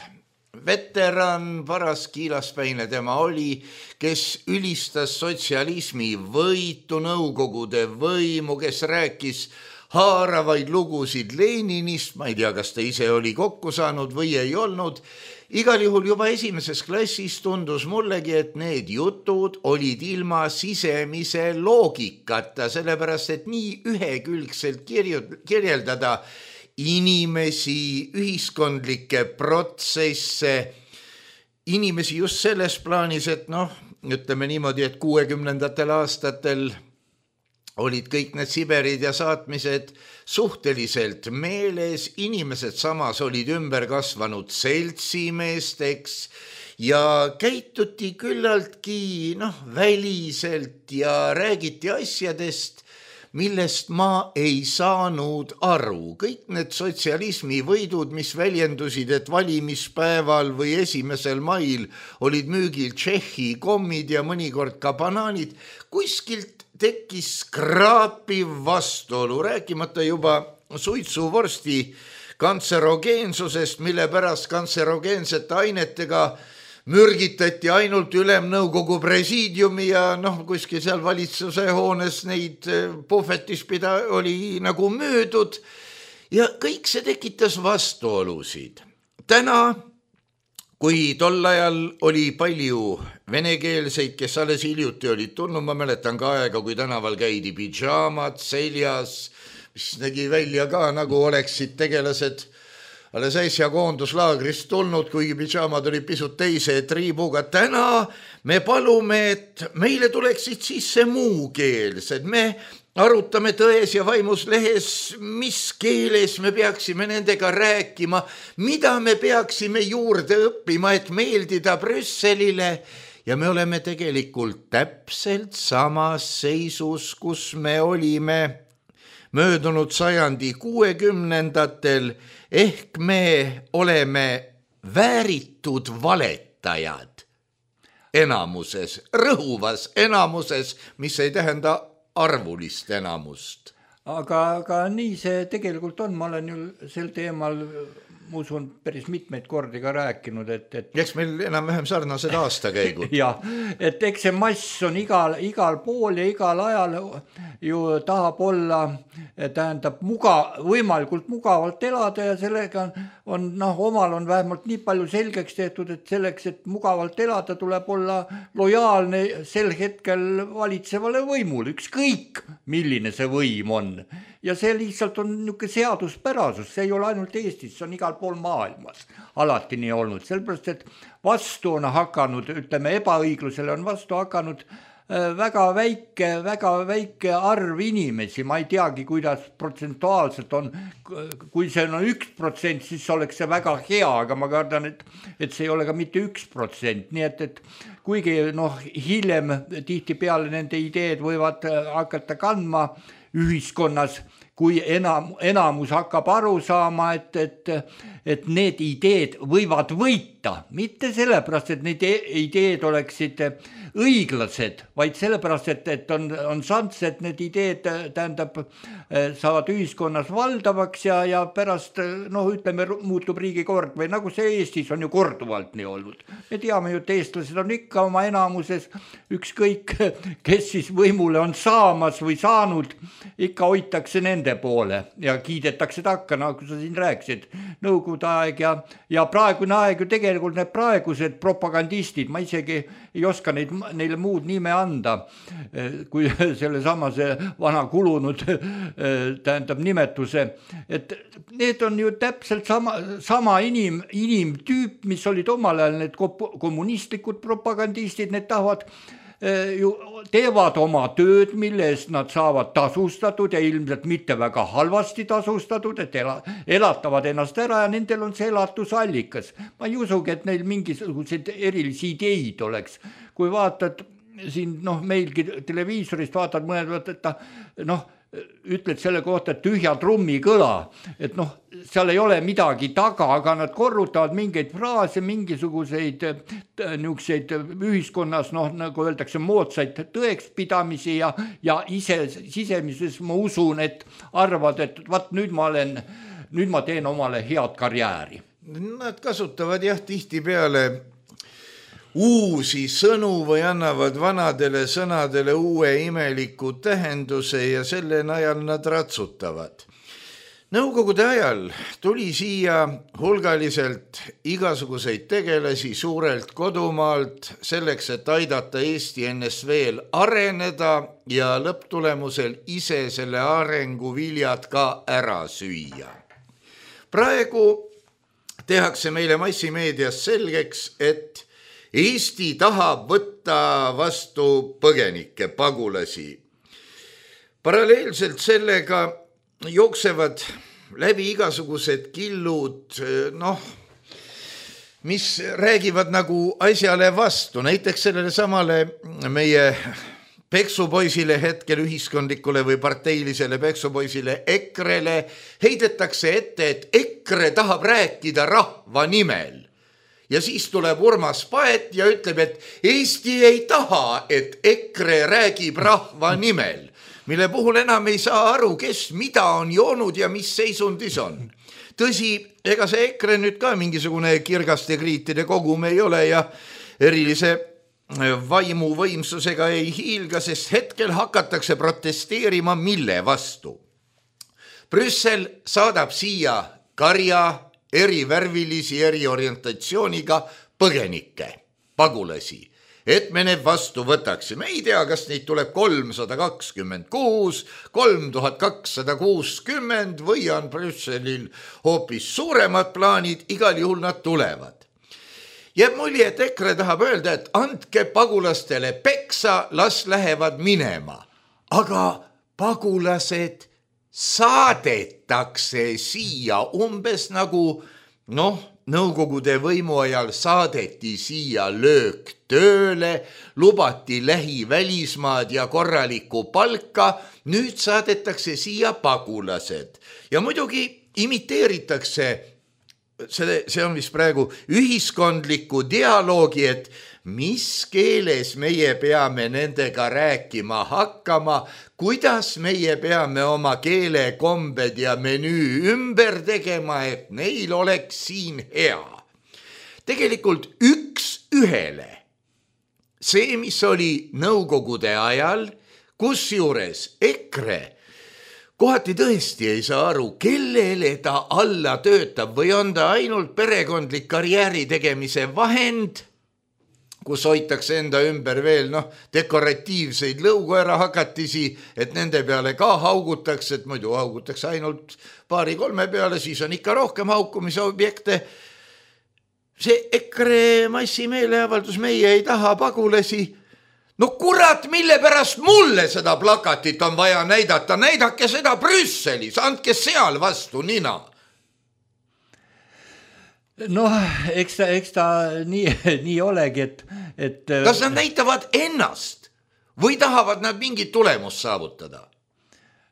Speaker 3: veteran, paras kiilaspäine tema oli, kes ülistas sotsialismi võitu, Nõukogude võimu, kes rääkis haaravaid lugusid Leninist, ma ei tea, kas ta ise oli kokku saanud või ei olnud. Igal juhul juba esimeses klassis tundus mullegi, et need jutud olid ilma sisemise loogikata, sellepärast et nii ühekülgselt kirjeldada inimesi, ühiskondlikke protsesse, inimesi just selles plaanis, et noh, ütleme niimoodi, et kuuekümnendatel aastatel olid kõik need Siberid ja saatmised suhteliselt meeles, inimesed samas olid ümber kasvanud seltsimeesteks ja käituti küllaltki noh, väliselt ja räägiti asjadest, millest ma ei saanud aru. Kõik need sotsialismi võidud, mis väljendusid, et valimispäeval või esimesel mail olid müügil Tšehhi kommid ja mõnikord ka banaanid, kuskilt tekkis kraapiv vastuolu, rääkimata juba suitsuvorsti kantserogeensusest, mille pärast kantserogeensete ainetega mürgitati ainult ülemnõukogu presiidiumi ja noh, kuskil seal valitsuse hoones neid puhvetis pida oli nagu müüdud ja kõik see tekitas vastuolusid. Täna, kui tol ajal oli palju venekeelseid, kes alles hiljuti olid tulnud, ma mäletan ka aega, kui tänaval käidi pidžaamad seljas, mis nägi välja ka nagu oleksid tegelased alles äsja koonduslaagrist tulnud, kuigi pidžaamad olid pisut teise triibuga. Täna me palume, et meile tuleksid sisse muukeelsed. Me arutame Tões ja vaimus lehes, mis keeles me peaksime nendega rääkima, mida me peaksime juurde õppima, et meeldida Brüsselile. Ja me oleme tegelikult täpselt samas seisus, kus me olime möödunud sajandi kuuekümnendatel, ehk me oleme vääritud valetajad enamuses, rõhuvas enamuses, mis ei tähenda arvulist enamust.
Speaker 2: Aga, aga nii see tegelikult on, ma olen ju sel teemal ma usun päris mitmeid kordi ka rääkinud, et, et...
Speaker 3: Eks meil enam-vähem sarnased aastakäigud.
Speaker 2: ja, et eks see mass on igal, igal pool ja igal ajal ju tahab olla, tähendab muga, võimalikult mugavalt elada ja sellega on, on noh, omal on vähemalt nii palju selgeks tehtud, et selleks, et mugavalt elada, tuleb olla lojaalne sel hetkel valitsevale võimule, ükskõik milline see võim on. Ja see lihtsalt on niisugune seaduspärasus, see ei ole ainult Eestis, see on igal pool maailmas alati nii olnud, sellepärast, et vastu on hakanud, ütleme ebaõiglusele on vastu hakanud väga väike, väga väike arv inimesi, ma ei teagi, kuidas protsentuaalselt on, kui see on üks protsent, siis oleks see väga hea, aga ma kardan, et, et see ei ole ka mitte üks protsent, nii et, et kuigi noh, hiljem tihtipeale nende ideed võivad hakata kandma ühiskonnas, kui enam, enamus hakkab aru saama, et, et, et need ideed võivad võita, mitte sellepärast, et need ideed oleksid õiglased, vaid sellepärast, et, et on, on šants, et need ideed tähendab, saavad ühiskonnas valdavaks ja, ja pärast, noh, ütleme, muutub riigikord või nagu see Eestis on ju korduvalt nii olnud. Me teame ju, et eestlased on ikka oma enamuses, ükskõik, kes siis võimule on saamas või saanud, ikka hoitakse nende poole ja kiidetakse takka, nagu sa siin rääkisid, nõukogude aeg ja, ja praegune aeg ju tegelikult need praegused propagandistid, ma isegi ei oska neid, neile muud nime anda, kui selle samase vana kulunud tähendab nimetuse, et need on ju täpselt sama, sama inim, inimtüüp, mis olid omal ajal need kommunistlikud propagandistid, need tahavad ju teevad oma tööd, mille eest nad saavad tasustatud ja ilmselt mitte väga halvasti tasustatud, et elatavad ennast ära ja nendel on see elatusallikas. Ma ei usugi, et neil mingisuguseid erilisi ideid oleks. Kui vaatad siin, noh, meilgi televiisorist vaatad mõned, et ta, noh, ütled selle kohta, et tühja trummi kõla, et noh, seal ei ole midagi taga, aga nad korrutavad mingeid fraase, mingisuguseid niisuguseid ühiskonnas, noh, nagu öeldakse, moodsaid tõekspidamisi ja, ja ise sisemises ma usun, et arvad, et vaat nüüd ma olen, nüüd ma teen omale head karjääri.
Speaker 3: Nad kasutavad jah tihti peale uusi sõnu või annavad vanadele sõnadele uue imeliku tähenduse ja selle najal nad ratsutavad. Nõukogude ajal tuli siia hulgaliselt igasuguseid tegelasi suurelt kodumaalt selleks, et aidata Eesti N S V-l areneda ja lõpptulemusel ise selle arengu viljad ka ära süüa. Praegu tehakse meile massimeedias selgeks, et Eesti tahab võtta vastu põgenikke, pagulasi. Paralleelselt sellega jooksevad läbi igasugused killud, noh, mis räägivad nagu asjale vastu. Näiteks sellele samale meie peksupoisile hetkel ühiskondlikule või parteilisele peksupoisile EKRE-le heidetakse ette, et EKRE tahab rääkida rahva nimel. Ja siis tuleb Urmas Paet ja ütleb, et Eesti ei taha, et EKRE räägib rahva nimel, mille puhul enam ei saa aru, kes mida on joonud ja mis seisundis on. Tõsi, ega see EKRE nüüd ka mingisugune kirgaste kriitide kogum ei ole ja erilise vaimu võimsusega ei hiilga, sest hetkel hakatakse protesteerima mille vastu. Brüssel saadab siia karja erivärvilisi, eriorientatsiooniga põgenikke, pagulasi, et me need vastu võtaksime. Ei tea, kas neid tuleb kolmsada kakskümmend kuus, kolm tuhat kakssada kuuskümmend või on Brüsselil hoopis suuremad plaanid, igal juhul nad tulevad. Jääb mulje, et EKRE tahab öelda, et andke pagulastele peksa, las lähevad minema. Aga pagulased saadetakse siia umbes nagu, noh, Nõukogude võimu ajal saadeti siia löök tööle, lubati lähi välismaad ja korralikku palka, nüüd saadetakse siia pagulased. Ja muidugi imiteeritakse, see, see on vist praegu ühiskondliku dialoogi, et mis keeles meie peame nendega rääkima hakkama, kuidas meie peame oma keelekombed ja menüü ümber tegema, et neil oleks siin hea. Tegelikult üks ühele. See, mis oli Nõukogude ajal, kus juures EKRE kohati tõesti ei saa aru, kellele ta alla töötab või on ta ainult perekondlik karjääri tegemise vahend, kus hoitakse enda ümber veel noh, dekoratiivseid lõukoera hakatisi, et nende peale ka haugutakse, et muidu haugutakse ainult paari-kolme peale, siis on ikka rohkem haukumise objekte. See EKRE massimeeleavaldus, meie ei taha pagulasi. No kurat, mille pärast mulle seda plakatit on vaja näidata, näidake seda Brüsselis, andke seal vastu nina.
Speaker 2: Noh, eks ta, eks ta nii, nii olegi, et, et...
Speaker 3: Kas nad näitavad ennast või tahavad nad mingit tulemust saavutada?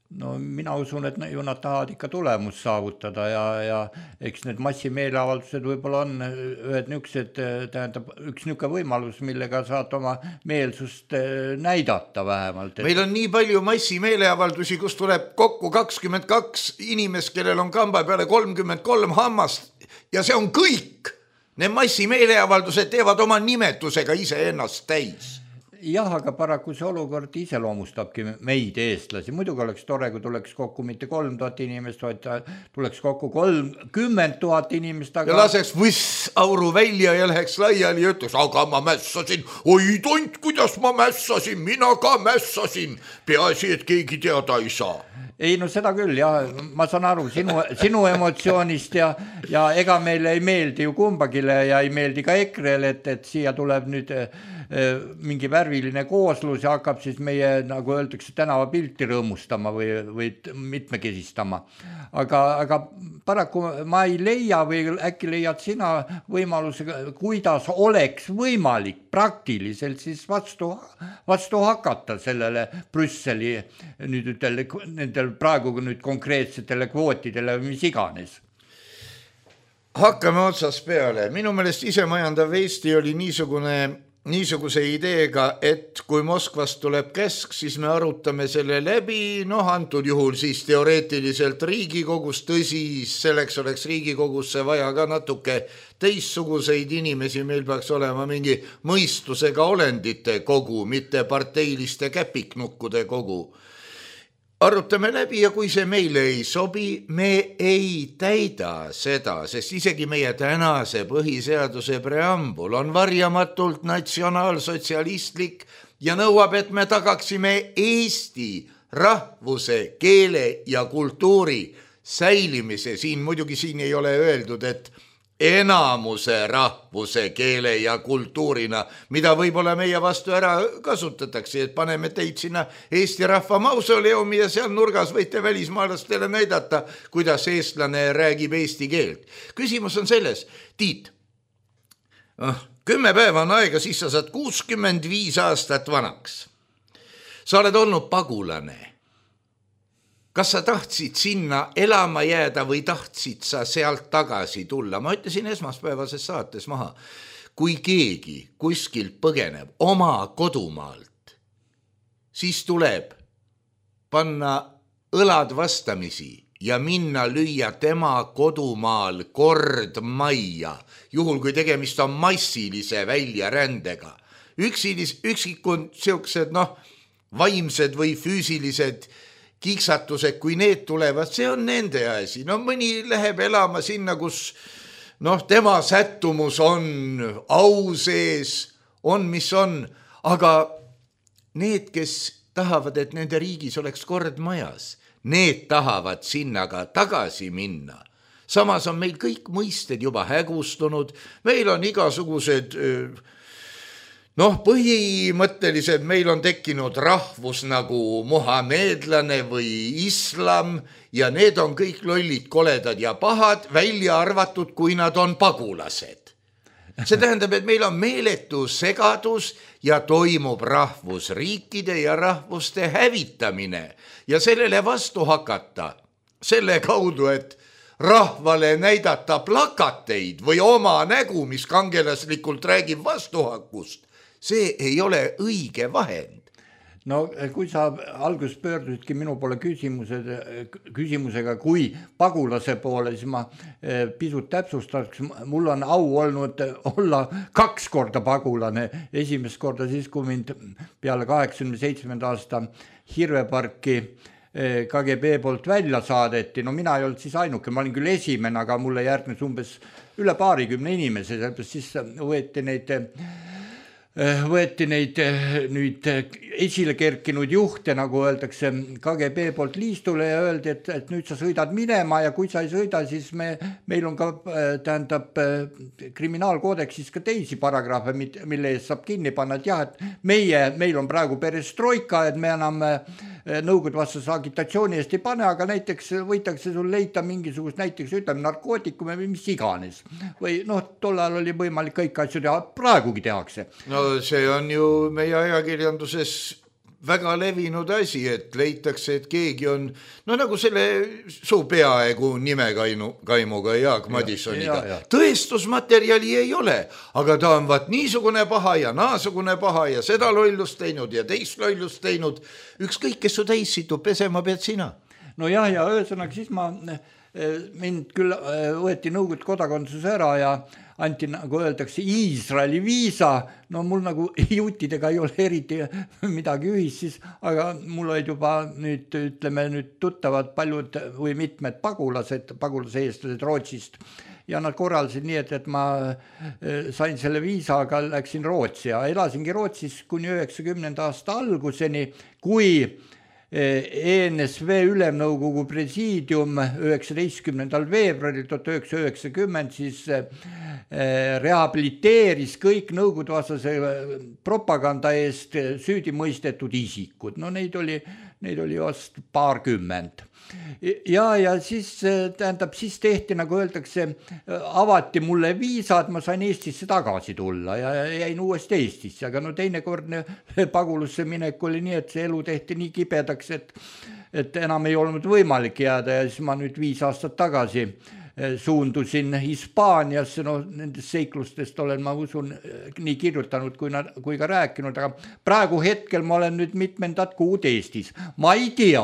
Speaker 2: No mina usun, et ju nad tahavad ikka tulemust saavutada ja, ja eks need massimeeleavaldused võib-olla on ühed niisugused, tähendab üks niisugune võimalus, millega saad oma meelsust näidata vähemalt.
Speaker 3: Et... Meil on nii palju massimeeleavaldusi, kus tuleb kokku kakskümmend kaks inimest, kellel on kamba peale kolmkümmend kolm hammast ja see on kõik. Need massimeeleavaldused teevad oma nimetusega ise ennast täis.
Speaker 2: Jah, aga paraku see olukord iseloomustabki meid eestlasi. Muidugi oleks tore, kui tuleks kokku mitte kolm tuhat inimest, vaid tuleks kokku kolmkümmend tuhat inimest. Aga...
Speaker 3: Ja laseks võss auru välja ja läheks laiali ja ütleks, aga ma mässasin. Oi tont, kuidas ma mässasin, mina ka mässasin. Peaasi, et keegi teada ei saa.
Speaker 2: Ei, no seda küll, ja ma saan aru sinu, sinu emotsioonist ja, ja ega meile ei meeldi ju kumbagile ja ei meeldi ka EKRE-le, et, et siia tuleb nüüd mingi värviline kooslus ja hakkab siis meie, nagu öeldakse, tänavapilti rõõmustama või, või mitmekesistama. Aga, aga paraku ma ei leia või äkki leiad sina võimaluse, kuidas oleks võimalik praktiliselt siis vastu, vastu hakata sellele Brüsseli nüüd ütel, nendel praegu nüüd konkreetsetele kvootidele või mis iganes.
Speaker 3: Hakkame otsast peale. Minu meelest isemajandav Eesti oli niisugune niisuguse ideega, et kui Moskvast tuleb käsk, siis me arutame selle läbi, noh antud juhul siis teoreetiliselt Riigikogus, tõsi, selleks oleks Riigikogusse vaja ka natuke teistsuguseid inimesi, meil peaks olema mingi mõistusega olendite kogu, mitte parteiliste käpiknukkude kogu. Arutame läbi ja kui see meile ei sobi, me ei täida seda, sest isegi meie tänase põhiseaduse preambul on varjamatult natsionaalsotsialistlik ja nõuab, et me tagaksime Eesti rahvuse, keele ja kultuuri säilimise. Siin muidugi siin ei ole öeldud, et enamuse rahvuse, keele ja kultuurina, mida võib-olla meie vastu ära kasutatakse, et paneme teid sinna Eesti rahva mausoleumi ja seal nurgas võite välismaalastele näidata, kuidas eestlane räägib eesti keelt. Küsimus on selles, Tiit, kümme päeva on aega, siis sa saad kuuskümmend viis aastat vanaks. Sa oled olnud pagulane. Kas sa tahtsid sinna elama jääda või tahtsid sa sealt tagasi tulla? Ma ütlesin esmaspäevases saates maha, kui keegi kuskilt põgeneb oma kodumaalt, siis tuleb panna õlad vastamisi ja minna lüüa tema kodumaal kord majja, juhul kui tegemist on massilise väljarändega. Üksilis, üksikund siuksed, noh, vaimsed või füüsilised kiksatused, kui need tulevad, see on nende asi. No mõni läheb elama sinna, kus noh, tema sättumus on au sees, on mis on, aga need, kes tahavad, et nende riigis oleks kord majas, need tahavad sinna ka tagasi minna. Samas on meil kõik mõisted juba hägustunud, meil on igasugused noh, põhimõtteliselt meil on tekkinud rahvus nagu muhamedlane või islam ja need on kõik lollid, koledad ja pahad, välja arvatud, kui nad on pagulased. See tähendab, et meil on meeletu segadus ja toimub rahvusriikide ja rahvuste hävitamine ja sellele vastu hakata selle kaudu, et rahvale näidata plakateid või oma nägu, mis kangelaslikult räägib vastuhakust. See ei ole õige vahend.
Speaker 2: No kui sa algus pöördusidki minu poole küsimused, küsimusega, kui pagulase poole, siis ma pisut täpsustaks, mul on au olnud olla kaks korda pagulane. Esimest korda siis, kui mind peale kaheksakümne seitsmenda aasta Hirveparki K G B poolt välja saadeti. No mina ei olnud siis ainuke, ma olin küll esimene, aga mulle järgnes umbes üle paarikümne inimese, siis võeti neid võeti neid nüüd esile kerkinud juhte, nagu öeldakse, K G B poolt liistule ja öeldi, et, et nüüd sa sõidad minema ja kui sa ei sõida, siis me, meil on ka tähendab kriminaalkoodeksis ka teisi paragrahve, mille eest saab kinni panna, et jah, et meie, meil on praegu perestroika, et me enam nõukogude vastase agitatsiooni eest ei pane, aga näiteks võitakse sul leida mingisugust näiteks ütleme narkootikume või mis iganes. Või noh, tollal oli võimalik kõik asju teha, praegugi tehakse.
Speaker 3: No see on ju meie ajakirjanduses väga levinud asi, et leitakse, et keegi on, no nagu selle su peaaegu nimekaimuga Jaak Madissoniga. Ja, ja. Tõestusmaterjali ei ole, aga ta on vaat niisugune paha ja naasugune paha ja seda lollust teinud ja teist lollust teinud. Ükskõik, kes su täis situb, pesema pead sina.
Speaker 2: No jah, ja ühesõnaga siis ma, mind küll võeti nõukogude kodakondsus ära ja anti, nagu öeldakse, Iisraeli viisa, no mul nagu juutidega ei ole eriti midagi ühist siis, aga mul olid juba nüüd, ütleme nüüd tuttavad paljud või mitmed pagulased, pagulase eestlased Rootsist ja nad korraldasid nii, et, et ma sain selle viisa, aga läksin Rootsi ja elasingi Rootsis kuni üheksakümnenda aasta alguseni, kui E N S V ülemnõukogu presiidium üheksateistkümnendal veebruaril tuhat üheksasada üheksakümmend siis rehabiliteeris kõik nõukogudevastase propaganda eest süüdi mõistetud isikud. No neid oli, neid oli vast paarkümmend. Ja, ja siis tähendab, siis tehti, nagu öeldakse, avati mulle viisa, et ma sain Eestisse tagasi tulla ja jäin uuesti Eestisse, aga no teinekordne pagulusse minek oli nii, et see elu tehti nii kibedaks, et, et enam ei olnud võimalik jääda ja siis ma nüüd viis aastat tagasi suundusin Hispaaniasse, no nendest seiklustest olen, ma usun, nii kirjutanud kui, kui ka rääkinud, aga praegu hetkel ma olen nüüd mitmendat kuud Eestis. Ma ei tea,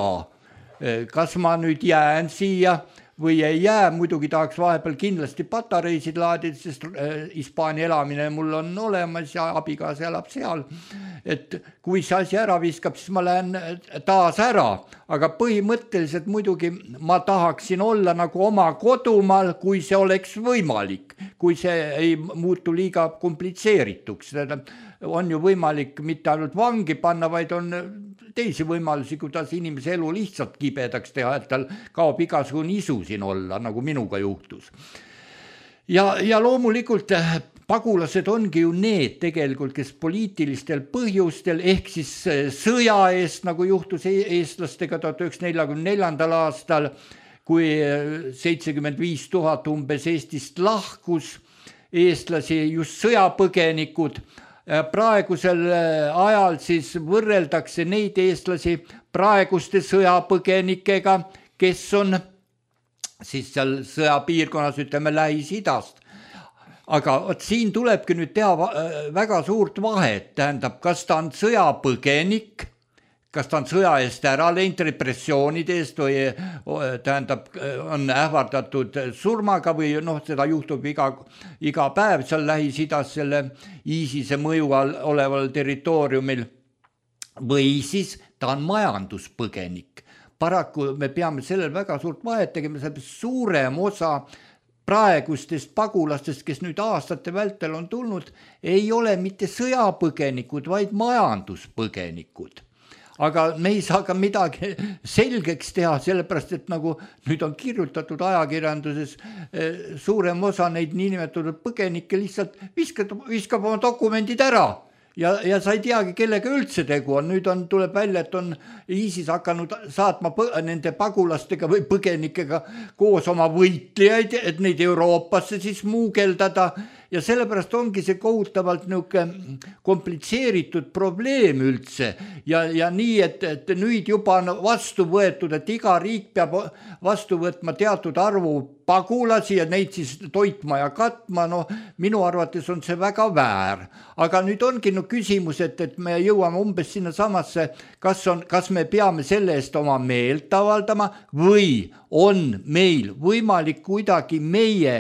Speaker 2: kas ma nüüd jään siia või ei jää, muidugi tahaks vahepeal kindlasti patareisid laadida, sest Hispaania elamine mul on olemas ja abikaasa elab seal. Et kui see asi ära viskab, siis ma lähen taas ära, aga põhimõtteliselt muidugi ma tahaksin olla nagu oma kodumaal, kui see oleks võimalik, kui see ei muutu liiga komplitseerituks. On ju võimalik mitte ainult vangi panna, vaid on teisi võimalusi, kuidas inimese elu lihtsalt kibedaks teha, et tal kaob igasugune isu siin olla, nagu minuga juhtus. Ja, ja loomulikult pagulased ongi ju need tegelikult, kes poliitilistel põhjustel ehk siis sõja eest, nagu juhtus eestlastega tuhat üheksasada nelikümmend neljandal aastal, kui seitsekümmend viis tuhat umbes Eestist lahkus eestlasi, just sõjapõgenikud. Praegusel ajal siis võrreldakse neid eestlasi praeguste sõjapõgenikega, kes on siis seal sõjapiirkonnas, ütleme Lähis-Idast. Aga siin tulebki nüüd teha väga suurt vahet, tähendab, kas ta on sõjapõgenik, kas ta on sõja eest ära läinud repressioonide eest või tähendab, on ähvardatud surmaga või noh, seda juhtub iga, iga päev seal Lähis-Idas selle ISISe mõju all oleval territooriumil või siis ta on majanduspõgenik. Paraku me peame sellel väga suurt vahet tegema, suurem osa praegustest pagulastest, kes nüüd aastate vältel on tulnud, ei ole mitte sõjapõgenikud, vaid majanduspõgenikud. Aga me ei saa ka midagi selgeks teha, sellepärast, et nagu nüüd on kirjutatud ajakirjanduses, suurem osa neid niinimetatud põgenikke lihtsalt viskab, viskab oma dokumendid ära ja, ja sa ei teagi, kellega üldse tegu on. Nüüd on, tuleb välja, et on ISIS hakanud saatma põ- nende pagulastega või põgenikega koos oma võitlejaid, et neid Euroopasse siis muugeldada. Ja sellepärast ongi see kohutavalt niisugune komplitseeritud probleem üldse ja, ja nii, et, et nüüd juba on vastu võetud, et iga riik peab vastu võtma teatud arvu pagulasi ja neid siis toitma ja katma, no minu arvates on see väga väär. Aga nüüd ongi no küsimus, et, et me jõuame umbes sinna samasse, kas, on, kas me peame selle eest oma meelt avaldama või on meil võimalik kuidagi meie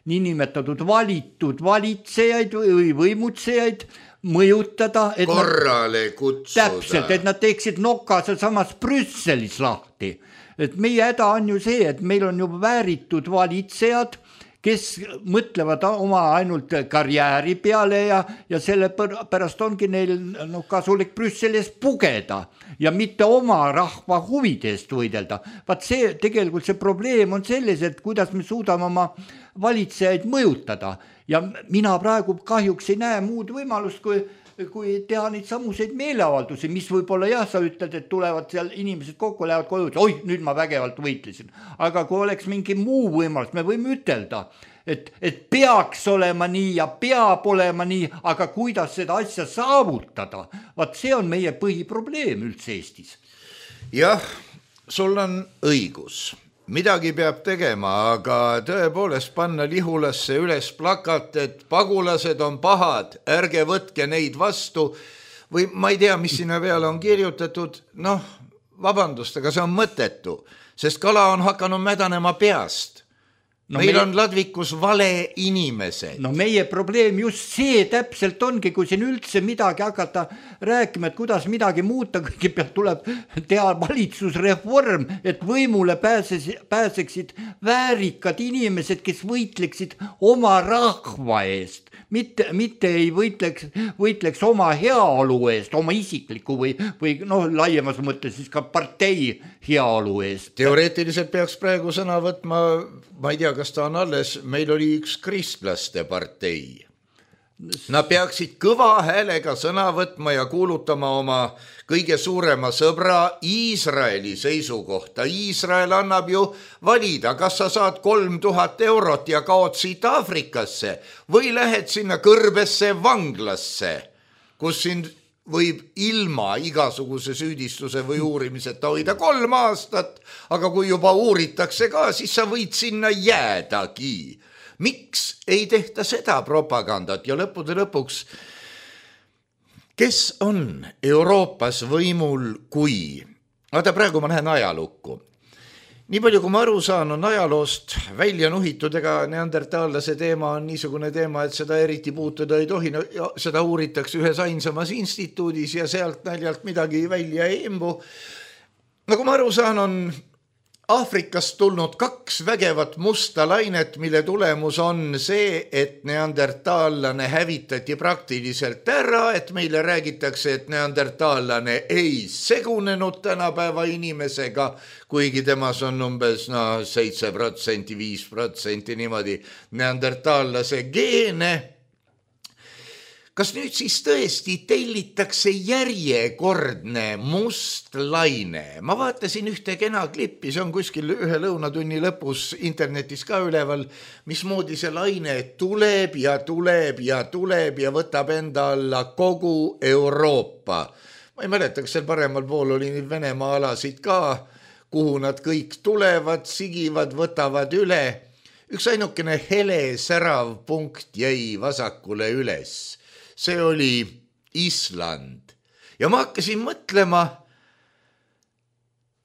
Speaker 2: niinimetatud valitud valitsejaid või võimutsejaid mõjutada, et
Speaker 3: korrale
Speaker 2: nad,
Speaker 3: kutsuda.
Speaker 2: Täpselt, et nad teeksid noka seal samas Brüsselis lahti. Et meie häda on ju see, et meil on ju vääritud valitsejad, kes mõtlevad oma ainult karjääri peale ja, ja selle pärast ongi neil no, kasulik Brüsselis pugeda ja mitte oma rahva huvide eest võidelda. Vaat see, tegelikult see probleem on selles, et kuidas me suudame oma valitsejaid mõjutada ja mina praegu kahjuks ei näe muud võimalust, kui kui teha neid samuseid meeleavaldusi, mis võib-olla jah, sa ütled, et tulevad seal inimesed kokku, lähevad koju, oi, nüüd ma vägevalt võitlesin. Aga kui oleks mingi muu võimalus, me võime ütelda, et, et peaks olema nii ja peab olema nii, aga kuidas seda asja saavutada, vaat see on meie põhiprobleem üldse Eestis.
Speaker 3: Jah, sul on õigus. Midagi peab tegema, aga tõepoolest panna Lihulasse üles plakat, et pagulased on pahad, ärge võtke neid vastu või ma ei tea, mis sinna peale on kirjutatud, noh, vabandust, aga see on mõttetu, sest kala on hakanud mädanema peast. No meil meie... on ladvikus vale inimesed.
Speaker 2: No meie probleem just see täpselt ongi, kui siin üldse midagi hakata rääkima, et kuidas midagi muuta, kõigepealt tuleb teha valitsusreform, et võimule pääses, pääseksid väärikad inimesed, kes võitleksid oma rahva eest. Mitte, mitte ei võitleks, võitleks oma heaolu eest, oma isikliku või, või noh, laiemas mõttes siis ka partei heaolu eest.
Speaker 3: Teoreetiliselt peaks praegu sõna võtma, ma ei tea, kas ta on alles, meil oli üks kristlaste partei. Nad peaksid kõva häälega sõna võtma ja kuulutama oma kõige suurema sõbra Iisraeli seisukohta. Iisrael annab ju valida, kas sa saad kolm tuhat eurot ja kaod siit Aafrikasse või lähed sinna kõrbesse vanglasse, kus sind võib ilma igasuguse süüdistuse või uurimiseta hoida kolm aastat, aga kui juba uuritakse ka, siis sa võid sinna jäädagi. Miks ei tehta seda propagandat ja lõppude lõpuks, kes on Euroopas võimul kui? Vaata, praegu ma lähen ajalukku. Nii palju, kui ma aru saan, on ajaloost välja nuhitud, ega neandertaallase teema on niisugune teema, et seda eriti puutuda ei tohi. No, seda uuritakse ühes ainsamas instituudis ja sealt naljalt midagi välja ei imbu. Nagu ma aru saan, on Aafrikast tulnud kaks vägevat musta lainet, mille tulemus on see, et neandertaallane hävitati praktiliselt ära, et meile räägitakse, et neandertaallane ei segunenud tänapäeva inimesega, kuigi temas on umbes no, seitse protsenti, viis protsenti niimoodi neandertaallase geene. Kas nüüd siis tõesti tellitakse järjekordne must laine? Ma vaatasin ühte kena klippi, see on kuskil ühe lõunatunni lõpus internetis ka üleval, mismoodi see laine tuleb ja tuleb ja tuleb ja võtab enda alla kogu Euroopa. Ma ei mäleta, kas seal paremal pool oli Venemaa alasid ka, kuhu nad kõik tulevad, sigivad, võtavad üle. Üks ainukene hele särav punkt jäi vasakule üles. See oli Island. Ja ma hakkasin mõtlema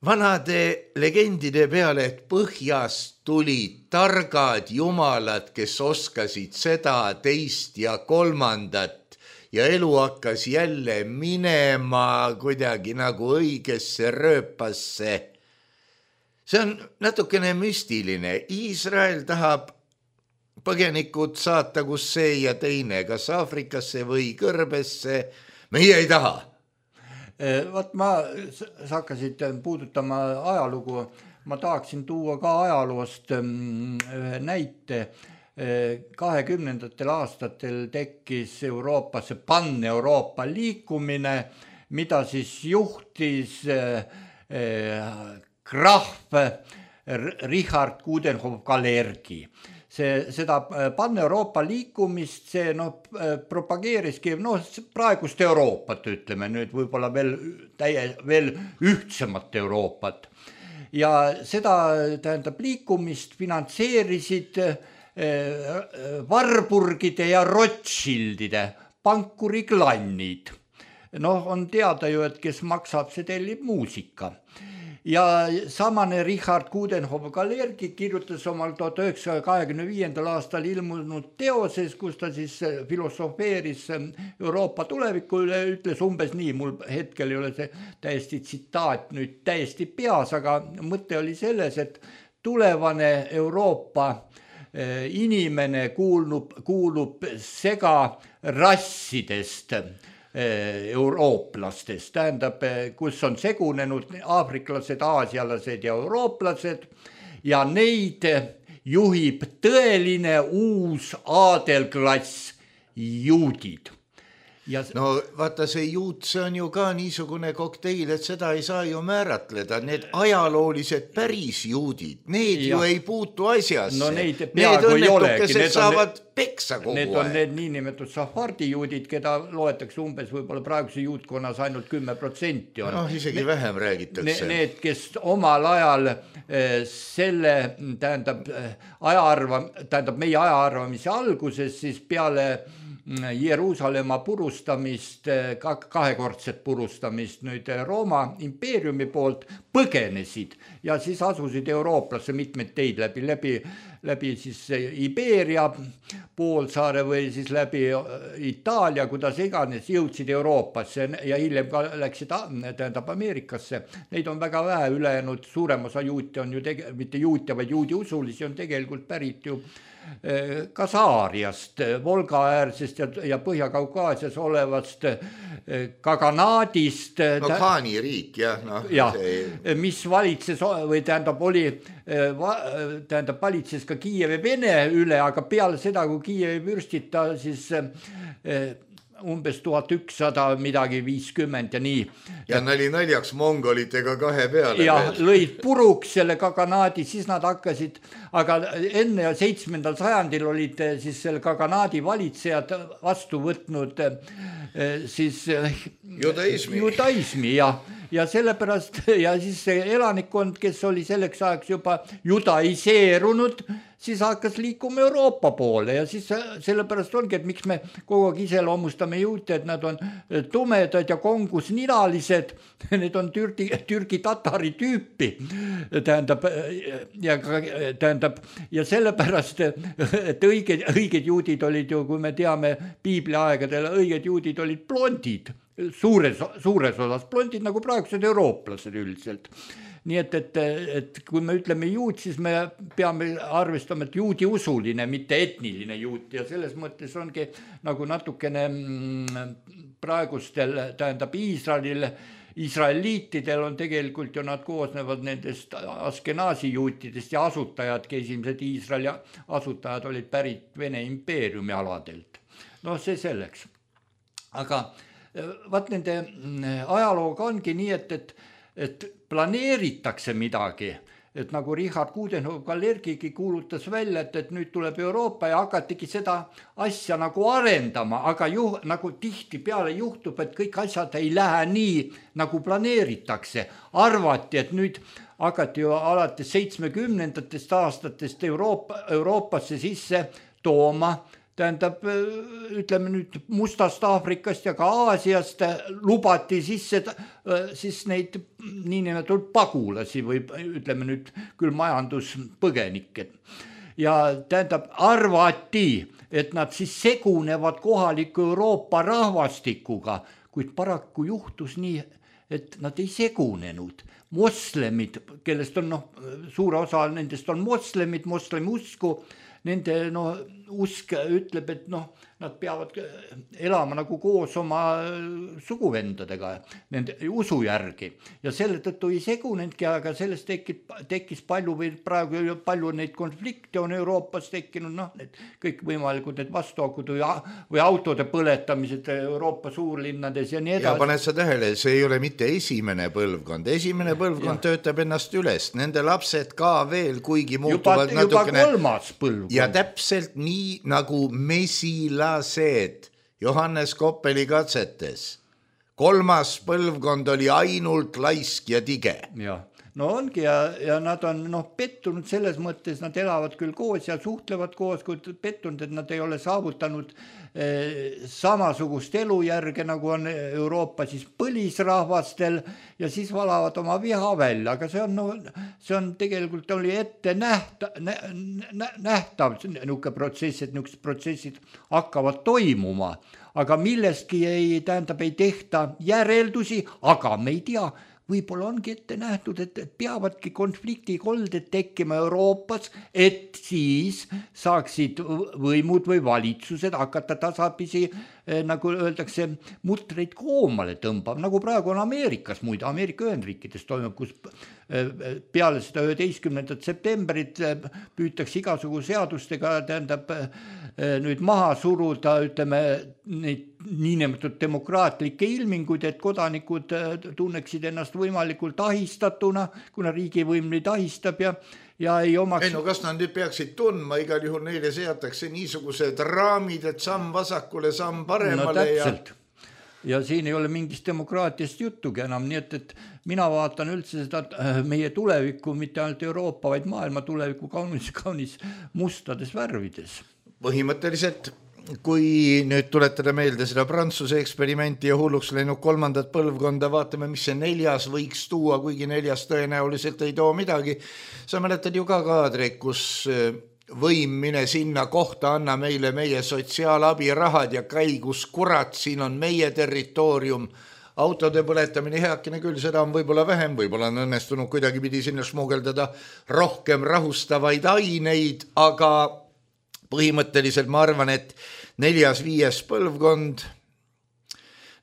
Speaker 3: vanade legendide peale, et põhjast tulid targad jumalad, kes oskasid seda, teist ja kolmandat ja elu hakkas jälle minema kuidagi nagu õigesse rööpasse. See on natukene müstiline. Iisrael tahab põgenikud saata kus see ja teine, kas Aafrikasse või Kõrbesse, meie ei taha.
Speaker 2: Vaat ma, sa hakkasid puudutama ajalugu, ma tahaksin tuua ka ajaloost ühe näite. kahekümnendatel aastatel tekkis Euroopasse pan-Euroopa liikumine, mida siis juhtis krahv Richard Coudenhove-Kalergi. See, seda pan-Euroopa liikumist, see no, propageeriski no, praegust Euroopat, ütleme nüüd võib-olla veel, täie, veel ühtsemat Euroopat. Ja seda tähendab liikumist finantseerisid eh, Warburgide ja Rothschildide pankuriklannid. Noh, on teada ju, et kes maksab, see tellib muusika. Ja samane Richard Coudenhove-Kalergi kirjutas omal tuhat üheksasaja kahekümne viiendal aastal ilmunud teoses, kus ta siis filosofeeris Euroopa tuleviku üle, ütles umbes nii, mul hetkel ei ole see täiesti tsitaat nüüd täiesti peas, aga mõte oli selles, et tulevane Euroopa inimene kuulub, kuulub sega rassidest eurooplastest, tähendab, kus on segunenud aafriklased, aasialased ja eurooplased ja neid juhib tõeline uus aadelklass juudid. Ja...
Speaker 3: No vaata, see juut, see on ju ka niisugune kokteil, et seda ei saa ju määratleda. Need ajaloolised päris juudid, need ja. Ju ei puutu asjasse.
Speaker 2: No neid peaaegu ei olegi.
Speaker 3: Need saavad peksa kogu
Speaker 2: need on aeg. Need niinimetud safardi juudid, keda loetakse umbes võib-olla praeguse juutkonnas ainult kümme protsenti on.
Speaker 3: No isegi ne, vähem räägitakse.
Speaker 2: Need, kes omal ajal eh, selle, tähendab, ajaarva, tähendab meie ajaarvamise alguses, siis peale Jeruusalemma purustamist, kahekordset purustamist nüüd Rooma impeeriumi poolt põgenesid ja siis asusid eurooplasse mitmeid teid läbi, läbi, läbi siis Iberia poolsaare või siis läbi Itaalia, kuidas iganes jõudsid Euroopasse ja hiljem ka läksid tähendab Ameerikasse. Neid on väga vähe ülejäänud, suurem osa juute on ju tege, mitte juute, vaid juudi usulisi on tegelikult pärit ju ka Saariast, Volga äärsest ja, ja Põhja-Kaukaasias olevast Kaganaadist.
Speaker 3: No Khaani riik, jah. No,
Speaker 2: ja, see... mis valitses või tähendab oli, tähendab valitses ka Kiievi Vene üle, aga peale seda, kui Kiievi vürstid ta siis umbes tuhat ükssada midagi viiskümmend ja nii.
Speaker 3: Ja nali naljaks mongolitega kahe peale.
Speaker 2: Ja veel. Lõid puruks selle kaganaadi, siis nad hakkasid, aga enne seitsmendal sajandil olid siis selle kaganaadi valitsejad vastu võtnud siis
Speaker 3: judaismi,
Speaker 2: judaismi ja, ja sellepärast ja siis see elanikkond, kes oli selleks ajaks juba judaiseerunud, siis hakkas liikuma Euroopa poole ja siis sellepärast ongi, et miks me kogu aeg iseloomustame juute, et nad on tumedad ja kongus ninalised, need on türgi, türgi tatari tüüpi, tähendab, ja, tähendab, ja sellepärast, et õiged, õiged juudid olid ju, kui me teame piibli aegadel, õiged juudid olid blondid, suures, suures osas blondid, nagu praegused eurooplased üldiselt. Nii et, et, et kui me ütleme juut, siis me peame arvestama, et juudi usuline, mitte etniline juut ja selles mõttes ongi nagu natukene praegustel, tähendab Iisraelil, Iisraeliitidel on tegelikult ju nad koosnevad nendest askenaasi juutidest ja asutajad, esimesed Iisraeli asutajad olid pärit Vene impeeriumi aladelt. No see selleks. Aga vaat nende ajalooga ongi nii, et, et et planeeritakse midagi, et nagu Richard Coudenhove-Kalergigi kuulutas välja, et, et nüüd tuleb Euroopa ja hakatigi seda asja nagu arendama, aga ju, nagu tihti peale juhtub, et kõik asjad ei lähe nii, nagu planeeritakse. Arvati, et nüüd hakati ju alates seitsmekümnendatest aastatest Euroopa, Euroopasse sisse tooma, tähendab, ütleme nüüd Mustast Aafrikast ja ka Aasiast lubati sisse siis neid niinimetatud pagulasi või ütleme nüüd küll majanduspõgenikke. Ja tähendab, arvati, et nad siis segunevad kohaliku Euroopa rahvastikuga, kuid paraku juhtus nii, et nad ei segunenud. Moslemid, kellest on, noh, suure osa nendest on moslemid, moslemi usku, nende no, usk ütleb, et noh, nad peavad elama nagu koos oma suguvendadega, nende usu järgi. Ja selle tõttu ei segunenudki, aga sellest tekkis, tekkis palju või praegu palju neid konflikte on Euroopas tekkinud, noh, need kõik võimalikud need vastuakud või, või autode põletamised Euroopa suurlinnades ja nii edasi.
Speaker 3: Ja paned sa tähele, see ei ole mitte esimene põlvkond. Esimene põlvkond ja. Töötab ennast üles. Nende lapsed ka veel, kuigi muutuvad
Speaker 2: juba,
Speaker 3: natukene.
Speaker 2: Juba kolmas põlvkond.
Speaker 3: Ja täpselt nii nagu mesilased Johannes Koppeli katsetes. Kolmas põlvkond oli ainult laisk ja tige.
Speaker 2: Ja. No ongi ja, ja nad on noh, pettunud selles mõttes, nad elavad küll koos ja suhtlevad koos, kui pettunud, et nad ei ole saavutanud eh, samasugust elujärge, nagu on Euroopa siis põlisrahvastel ja siis valavad oma viha välja, aga see on, no, see on tegelikult oli ette nähta, nä, nä, nähtav niisugune protsess, et niisugused protsessid hakkavad toimuma, aga millestki ei, tähendab, ei tehta järeldusi, aga me ei tea, võib-olla ongi ette nähtud, et peavadki konfliktikolded tekkima Euroopas, et siis saaksid võimud või valitsused hakata tasapisi, nagu öeldakse, mutreid koomale tõmbab, nagu praegu on Ameerikas, muide Ameerika Ühendriikides toimub, kus peale seda üheteistkümnendat septembrit püütakse igasugu seadustega, tähendab, nüüd maha suruda, ütleme, neid niinimetatud demokraatlikke ilminguid, et kodanikud tunneksid ennast võimalikult ahistatuna, kuna riigivõim neid ahistab ja, ja ei omaks...
Speaker 3: Ei no kas nad nüüd peaksid tundma, igal juhul neile seatakse niisugused raamid, et samm vasakule, samm paremale. No täpselt.
Speaker 2: Ja... ja siin ei ole mingist demokraatiast juttugi enam, nii et, et mina vaatan üldse seda meie tulevikku, mitte ainult Euroopa, vaid maailma tulevikku kaunis, kaunis mustades värvides.
Speaker 3: Põhimõtteliselt, kui nüüd tuletada meelde seda Prantsuse eksperimenti ja hulluks läinud kolmandat põlvkonda, vaatame, mis see neljas võiks tuua, kuigi neljas tõenäoliselt ei too midagi. Sa mäletad ju ka kaadreid, kus võim mine sinna kohta, anna meile meie sotsiaalabirahad ja käi, kus kurat, siin on meie territoorium. Autode põletamine heakene küll, seda on võib-olla vähem, võib-olla on õnnestunud kuidagi pidi sinna smugeldada rohkem rahustavaid aineid, aga põhimõtteliselt ma arvan, et neljas, viies põlvkond,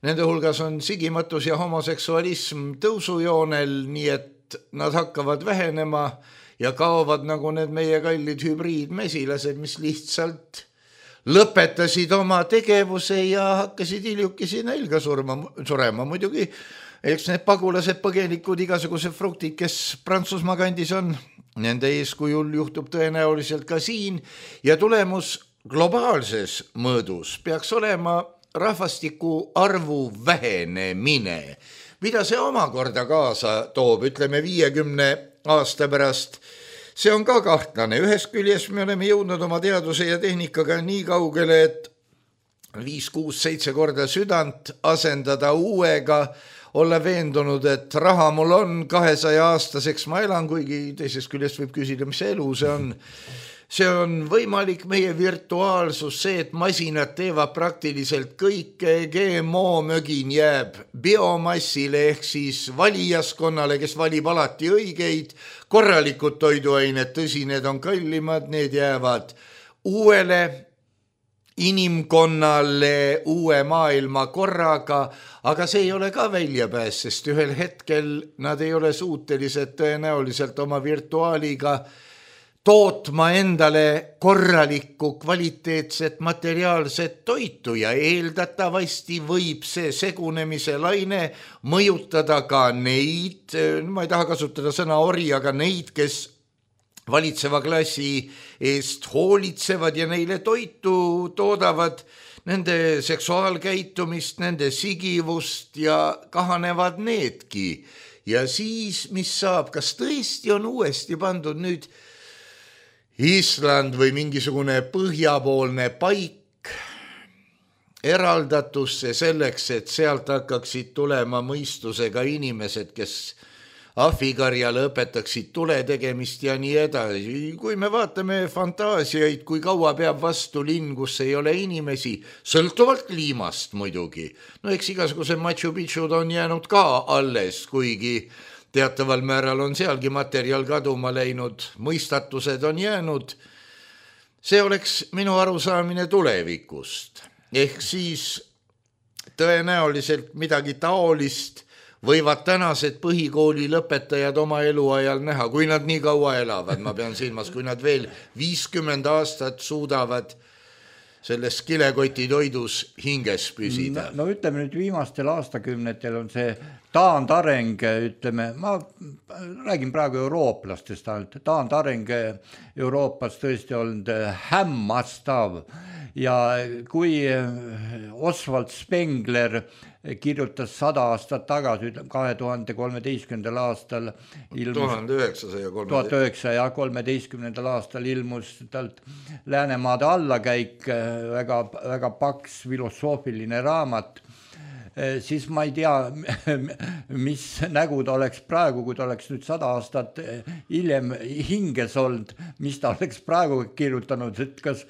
Speaker 3: nende hulgas on sigimatus ja homoseksualism tõusujoonel, nii et nad hakkavad vähenema ja kaovad nagu need meie kallid hübriidmesilased, mis lihtsalt lõpetasid oma tegevuse ja hakkasid hiljukesi nälga surma, surema. Muidugi, eks need pagulased, põgenikud, igasugused fruktid, kes Prantsusmaa kandis on, nende eeskujul juhtub tõenäoliselt ka siin ja tulemus globaalses mõõdus peaks olema rahvastiku arvu vähenemine. Mida see omakorda kaasa toob, ütleme viiekümne aasta pärast? See on ka kahtlane. Ühest küljest me oleme jõudnud oma teaduse ja tehnikaga nii kaugele, et viis, kuus, seitse korda südant asendada uuega, olla veendunud, et raha mul on, kahesaja aastaseks ma elan, kuigi teisest küljest võib küsida, mis elu see on. See on võimalik meie virtuaalsus, see, et masinad teevad praktiliselt kõike, G M O mögin jääb biomassile ehk siis valijaskonnale, kes valib alati õigeid, korralikud toiduained, tõsi, need on kallimad, need jäävad uuele inimkonnale uue maailma korraga, aga see ei ole ka väljapääs, sest ühel hetkel nad ei ole suutelised tõenäoliselt oma virtuaaliga tootma endale korralikku kvaliteetset materiaalset toitu ja eeldatavasti võib see segunemise laine mõjutada ka neid, ma ei taha kasutada sõna ori, aga neid, kes valitseva klassi eest hoolitsevad ja neile toitu toodavad, nende seksuaalkäitumist, nende sigivust ja kahanevad needki. Ja siis, mis saab, kas tõesti on uuesti pandud nüüd Island või mingisugune põhjapoolne paik eraldatusse selleks, et sealt hakkaksid tulema mõistusega inimesed, kes ahvikarjale õpetaksid tule tegemist ja nii edasi. Kui me vaatame fantaasiaid, kui kaua peab vastu linn, kus ei ole inimesi, sõltuvalt kliimast muidugi. No eks igasuguse Machu Picchud on jäänud ka alles, kuigi teataval määral on sealgi materjal kaduma läinud, mõistatused on jäänud. See oleks minu arusaamine tulevikust. Ehk siis tõenäoliselt midagi taolist võivad tänased põhikooli lõpetajad oma eluajal näha, kui nad nii kaua elavad, ma pean silmas, kui nad veel viiskümmend aastat suudavad selles kilekoti toidus hinges püsida.
Speaker 2: No, no ütleme nüüd viimastel aastakümnetel on see taandareng, ütleme, ma räägin praegu eurooplastest ainult, taandareng Euroopas tõesti olnud hämmastav ja kui Oswald Spengler kirjutas sada aastat tagasi, kahe tuhande kolmeteistkümnendal aastal ilmus, tuhat üheksasaja kolmeteistkümnendal aastal ilmus talt Läänemaade allakäik, väga, väga paks filosoofiline raamat, siis ma ei tea, mis nägu ta oleks praegu, kui ta oleks nüüd sada aastat hiljem hinges olnud, mis ta oleks praegu kirjutanud, et kas,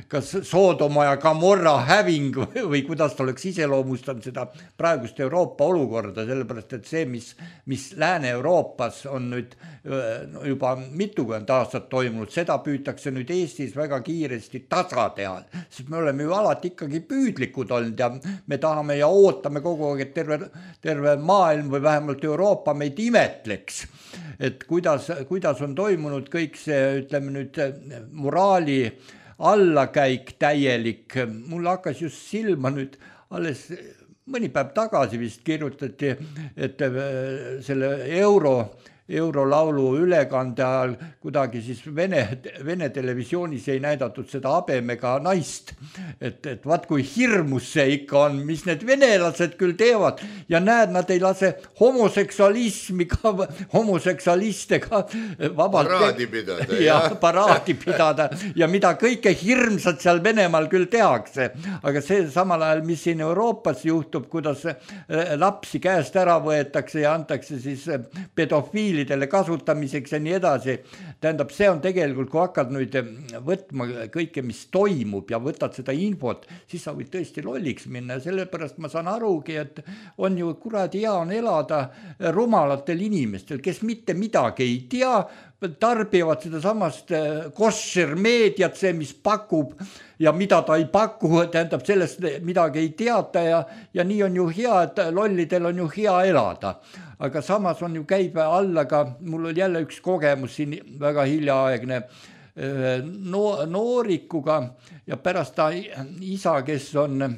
Speaker 2: kas Soodoma ja Gomorra häving või kuidas ta oleks iseloomustanud seda praegust Euroopa olukorda, sellepärast et see, mis, mis Lääne-Euroopas on nüüd juba mitukümmend aastat toimunud, seda püütakse nüüd Eestis väga kiiresti tasa teha, sest me oleme ju alati ikkagi püüdlikud olnud ja me tahame ja ootame kogu aeg, et terve, terve maailm või vähemalt Euroopa meid imetleks, et kuidas, kuidas on toimunud kõik see, ütleme nüüd, moraali allakäik täielik. Mul hakkas just silma nüüd alles mõni päev tagasi vist kirjutati, et selle euro eurolaulu ülekande ajal kuidagi siis Vene, Vene televisioonis ei näidatud seda habemega naist, et, et vaat kui hirmus see ikka on, mis need venelased küll teevad ja näed, nad ei lase homoseksualismi ka, homoseksualistega vabalt
Speaker 3: paraadi pidada,
Speaker 2: ja, paraadi pidada ja mida kõike hirmsat seal Venemaal küll tehakse, aga see samal ajal, mis siin Euroopas juhtub, kuidas lapsi käest ära võetakse ja antakse siis pedofiili kasutamiseks ja nii edasi. Tähendab, see on tegelikult, kui hakkad nüüd võtma kõike, mis toimub ja võtad seda infot, siis sa võid tõesti lolliks minna ja sellepärast ma saan arugi, et on ju kuradi hea on elada rumalatel inimestel, kes mitte midagi ei tea, tarbivad seda samast kosher meediat, see, mis pakub ja mida ta ei paku, tähendab sellest midagi ei teata ja, ja nii on ju hea, et lollidel on ju hea elada. Aga samas on ju käibe alla ka, mul oli jälle üks kogemus siin väga hiljaaegne, no, noorikuga ja pärast ta isa, kes on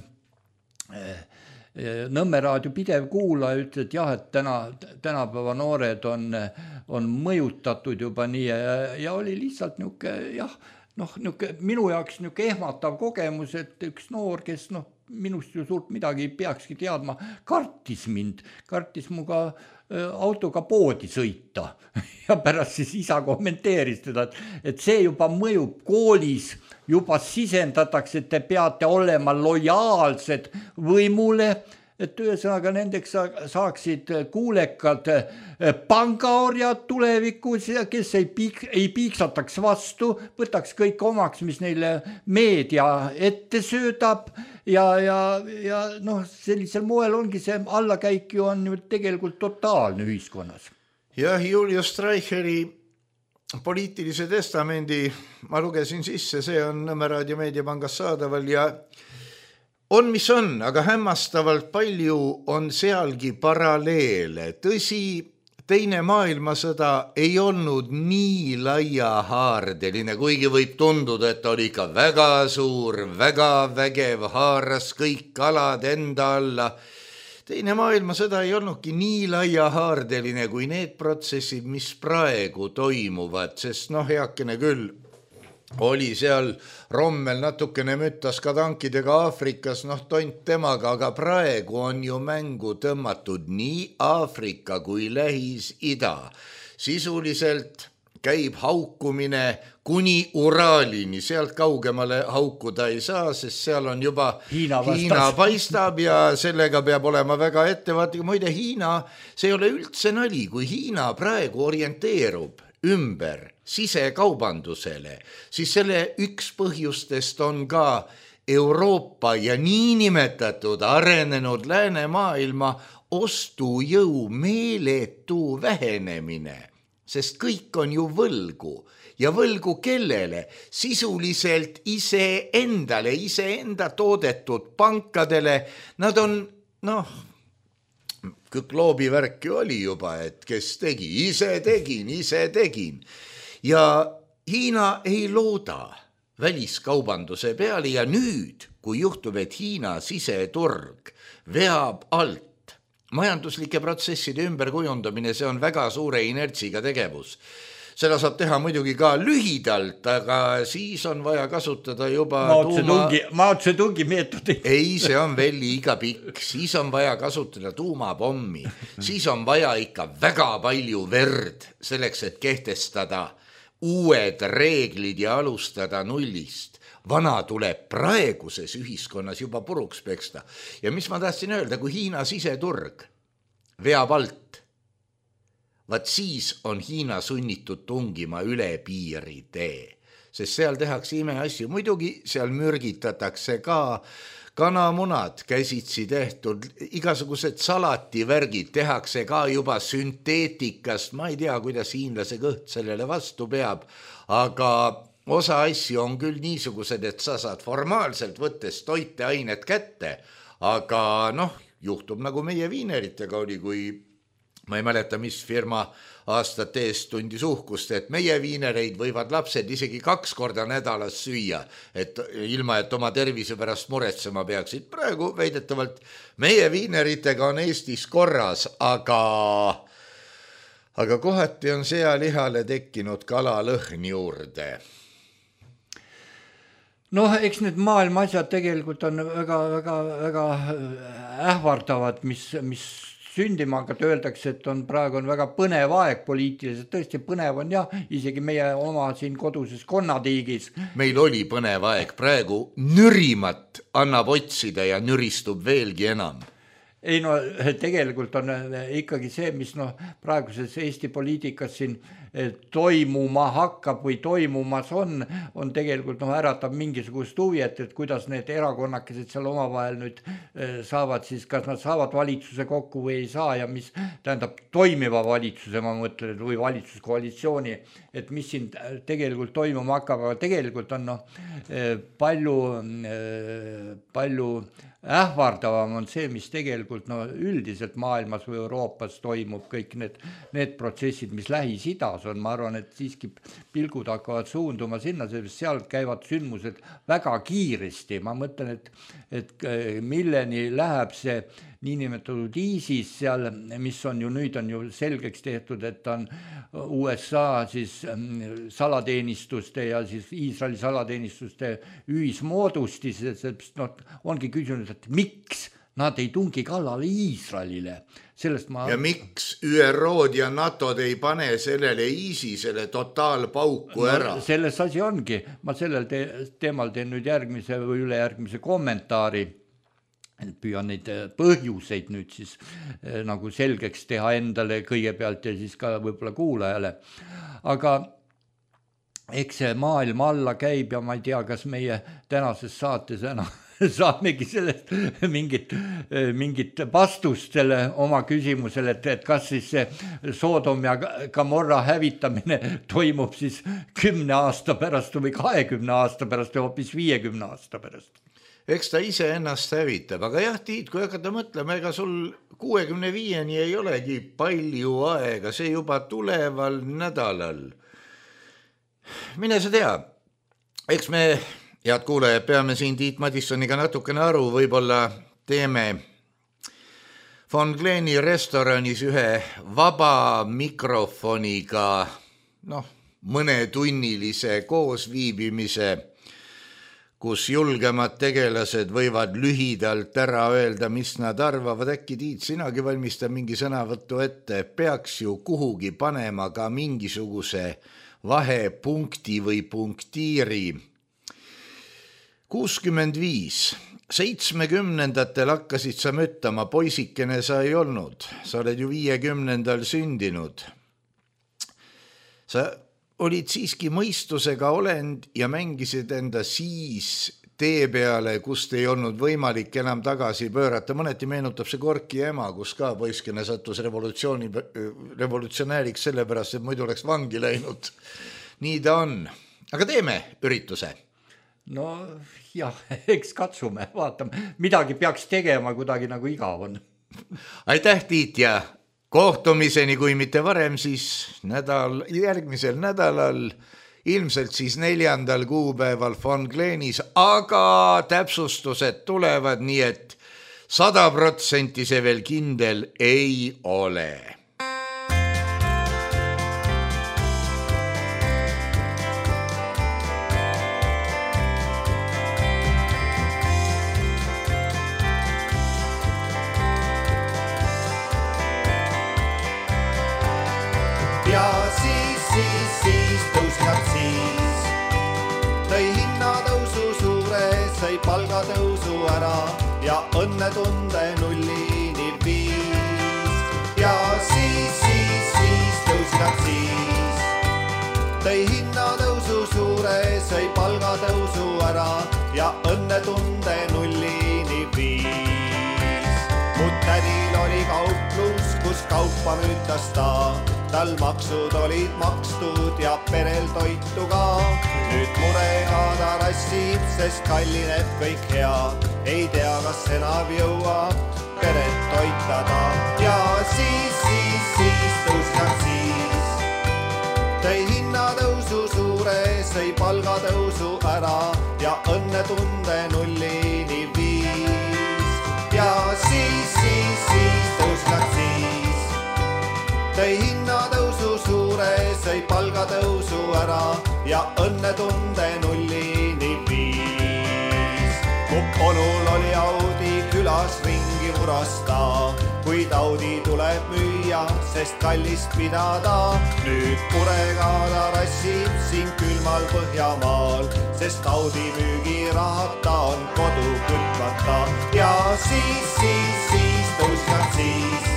Speaker 2: Nõmme raadio pidev kuulaja, ütles, et jah, et täna, tänapäeva noored on, on mõjutatud juba nii ja, ja oli lihtsalt niuke, jah, noh, niuke, minu jaoks niuke ehmatav kogemus, et üks noor, kes noh, minust ju suurt midagi peakski teadma, kartis mind, kartis muga autoga poodi sõita ja pärast siis isa kommenteeris teda, et see juba mõjub koolis, juba sisendatakse, et te peate olema lojaalsed võimule, et ühesõnaga nendeks saaksid kuulekad pangaorjad tulevikus, kes ei, piik, ei piiksataks vastu, võtaks kõik omaks, mis neile meedia ette söödab ja, ja, ja noh, sellisel moel ongi see allakäik ju on ju tegelikult totaalne ühiskonnas.
Speaker 3: Jah, Julius Streicheri poliitilise testamendi ma lugesin sisse, see on Nõmme raadio meediapangas saadaval ja on, mis on, aga hämmastavalt palju on sealgi paralleele. Tõsi, teine maailmasõda ei olnud nii laiahaardeline, kuigi võib tunduda, et oli ikka väga suur, väga vägev, haaras kõik alad enda alla. Teine maailmasõda ei olnudki nii laiahaardeline kui need protsessid, mis praegu toimuvad, sest noh, heakene küll, oli seal Rommel natukene müttas ka tankidega Aafrikas, noh tont temaga, aga praegu on ju mängu tõmmatud nii Aafrika kui Lähis-Ida. Sisuliselt käib haukumine kuni Uraalini, sealt kaugemale haukuda ei saa, sest seal on juba Hiina, Hiina paistab ja sellega peab olema väga ettevaatlik. Muide, Hiina, see ei ole üldse nali, kui Hiina praegu orienteerub ümber sisekaubandusele, siis selle üks põhjustest on ka Euroopa ja niinimetatud arenenud läänemaailma ostujõu meeletu vähenemine, sest kõik on ju võlgu ja võlgu kellele? Sisuliselt iseendale, iseenda toodetud pankadele. Nad on, noh, kloobivärk ju oli juba, et kes tegi, ise tegin, ise tegin. Ja Hiina ei looda väliskaubanduse peale ja nüüd, kui juhtub, et Hiina siseturg veab alt majanduslike protsesside ümberkujundamine, see on väga suure inertsiga tegevus. Seda saab teha muidugi ka lühidalt, aga siis on vaja kasutada juba
Speaker 2: Mao Zedongi meetodit.
Speaker 3: Ei, see on veel liiga pikk. Siis on vaja kasutada tuumapommi. Siis on vaja ikka väga palju verd selleks, et kehtestada uued reeglid ja alustada nullist. Vana tuleb praeguses ühiskonnas juba puruks peksta. Ja mis ma tahtsin öelda, kui Hiina siseturg veab alt, vaat siis on Hiina sunnitud tungima üle piiri tee, sest seal tehakse imeasju. Muidugi seal mürgitatakse ka kanamunad käsitsi tehtud, igasugused salativärgid tehakse ka juba sünteetikast. Ma ei tea, kuidas hiinlase kõht sellele vastu peab, aga osa asju on küll niisugused, et sa saad formaalselt võttes toiteainet kätte, aga noh, juhtub nagu meie viineritega oli, kui ma ei mäleta, mis firma aastate eest tundis uhkust, et meie viinereid võivad lapsed isegi kaks korda nädalas süüa, et ilma, et oma tervise pärast muretsema peaksid. Praegu väidetavalt meie viineritega on Eestis korras, aga, aga kohati on sealihale tekkinud kalalõhn juurde.
Speaker 2: Noh, eks need maailma asjad tegelikult on väga, väga, väga ähvardavad, mis, mis sündima, aga öeldakse, et on praegu on väga põnev aeg poliitiliselt, tõesti põnev on jah, isegi meie oma siin koduses konnatiigis.
Speaker 3: Meil oli põnev aeg, praegu nürimat annab otsida ja nüristub veelgi enam.
Speaker 2: Ei no tegelikult on ikkagi see, mis noh, praeguses Eesti poliitikas siin toimuma hakkab või toimumas on, on tegelikult noh, äratab mingisugust huvi, et, et kuidas need erakonnakesed seal omavahel nüüd saavad siis, kas nad saavad valitsuse kokku või ei saa ja mis tähendab toimiva valitsuse, ma mõtlen, või valitsuskoalitsiooni, et mis siin tegelikult toimuma hakkab, aga tegelikult on noh, palju, palju ähvardavam on see, mis tegelikult no, üldiselt maailmas või Euroopas toimub kõik need, need protsessid, mis Lähis-Idas suunas on, ma arvan, et siiski pilgud hakkavad suunduma sinna, sest seal käivad sündmused väga kiiresti, ma mõtlen, et, et milleni läheb see niinimetatud ISIS seal, mis on ju nüüd on ju selgeks tehtud, et on U S A siis salateenistuste ja siis Iisraeli salateenistuste ühismoodustis, no, ongi küsinud, et miks nad ei tungi kallale Iisraelile. Sellest ma...
Speaker 3: Ja miks Ü R O-d ja NATO-d ei pane sellele ISISele totaalpauku ära?
Speaker 2: No, selles asi ongi. Ma sellel te teemal teen nüüd järgmise või ülejärgmise kommentaari. Püüan neid põhjuseid nüüd siis nagu selgeks teha endale kõigepealt ja siis ka võib-olla kuulajale. Aga eks see maailm alla käib ja ma ei tea, kas meie tänases saates enam saamegi sellest mingit, mingit vastust selle oma küsimusele, et, et kas siis see Sodom ja Gomorra hävitamine toimub siis kümne aasta pärast või kahekümne aasta pärast ja hoopis viiekümne aasta pärast.
Speaker 3: Eks ta ise ennast hävitab, aga jah, Tiit, kui hakata mõtlema, ega sul kuuekümne viieni ei olegi palju aega, see juba tuleval nädalal. Mine sa tea, eks me, head kuulajad, peame siin Tiit Madissoniga natukene aru, võib-olla teeme Von Gleni restoranis ühe vaba mikrofoniga, noh, mõnetunnilise koosviibimise, kus julgemad tegelased võivad lühidalt ära öelda, mis nad arvavad. Äkki, Tiit, sinagi valmista mingi sõnavõttu ette, peaks ju kuhugi panema ka mingisuguse vahepunkti või punktiiri. kuuskümmend viis. seitsmekümnendatel hakkasid sa müttama, poisikene sa ei olnud. Sa oled ju viiekümnendal sündinud. Sa olid siiski mõistusega olend ja mängisid enda siis tee peale, kust ei olnud võimalik enam tagasi pöörata. Mõneti meenutab see Gorki ema, kus ka poiskene sattus revolutsiooni, revolutsionääriks sellepärast, et muidu oleks vangi läinud. Nii ta on. Aga teeme ürituse.
Speaker 2: No jah, eks katsume, vaatame. Midagi peaks tegema, kuidagi nagu igav on.
Speaker 3: Aitäh, Tiit, ja kohtumiseni, kui mitte varem, siis nädal, järgmisel nädalal, ilmselt siis neljandal kuupäeval Von Glenis, aga täpsustused tulevad, nii et sada protsenti see veel kindel ei ole.
Speaker 4: Palgatõusu ära ja õnnetunde nullini viis. Ja siis, siis, siis tõusid nad siis. Tõi hinnatõusu suure, sõi palgatõusu ära ja õnnetunde nullini viis. Mu tädil oli kauplus, kus kaupa müütas ta. Tal maksud olid makstud ja perel toitu ka. Nüüd murega ta rassib, sest kallineb kõik hea. Ei tea, kas enam jõuab peret toitada. Ja siis, siis, siis tõusid nad siis. Tõi hinnatõusu suure, sõi palgatõusu ära ja õnnetunde nullini viis. Ja siis, siis, siis tõusid nad siis. Tõi hinnatõusu suure, sõi palgatõusu ära ja õnnetunde nullini viis. Mu onul oli Audi külas ringi vurasta, kuid Audi tuleb müüa, sest kallist pidada. Nüüd purega ta rassib siin külmal Põhjamaal, sest Audi müügirahata on kodu kütmata. Ja siis, siis, siis tõusid nad siis.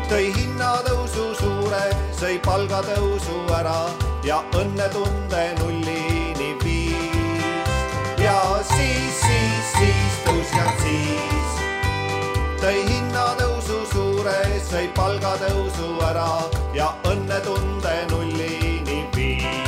Speaker 4: Tõi hinnatõusu suure, sõi palgatõusu ära ja õnnetunde nullini viis. Ja siis, siis, siis tõusid nad siis. Tõi hinnatõusu suure, sõi palgatõusu ära ja õnnetunde nullini viis.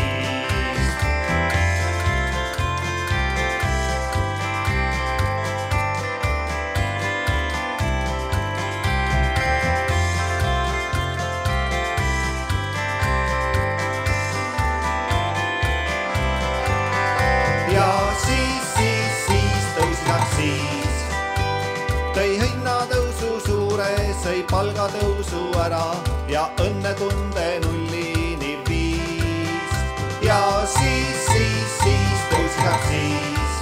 Speaker 4: palgatõusu ära ja õnnetunde nullini viis. Ja siis, siis, siis tõusis aktsiis.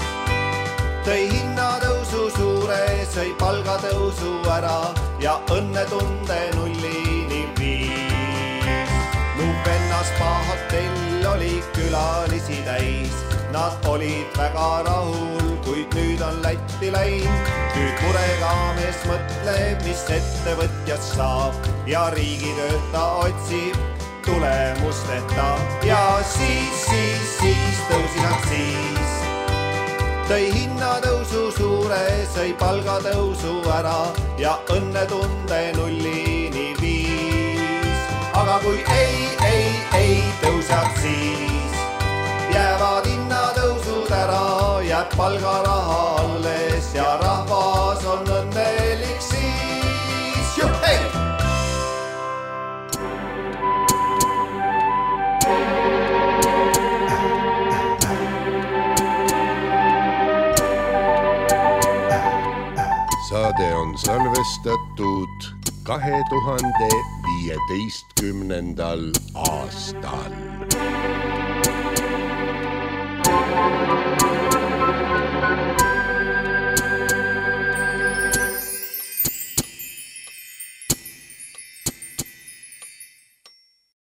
Speaker 4: Tõi hinnatõusu suure, sõi palgatõusu ära ja õnnetunde nullini viis. Mu vennas Pahotell oli külalisi täis. Nad olid väga rahul, kuid nüüd on Lätti läinud. Nüüd murega mees mõtleb, mis ettevõtjast saab ja riigitööta otsib tulemusteta. Ja siis, siis, siis tõusis aktsiis. Tõi hinnatõusu suure, sõi palgatõusu ära ja õnnetunde nullini viis. Aga kui ei, ei, ei tõuse aktsiis, jäävad hinnatõusud ära, jääb palgaraha alles ja rahvas on õnnelik siis. Juh, hei!
Speaker 5: Saade on salvestatud kahe tuhande viieteistkümnendal aastal.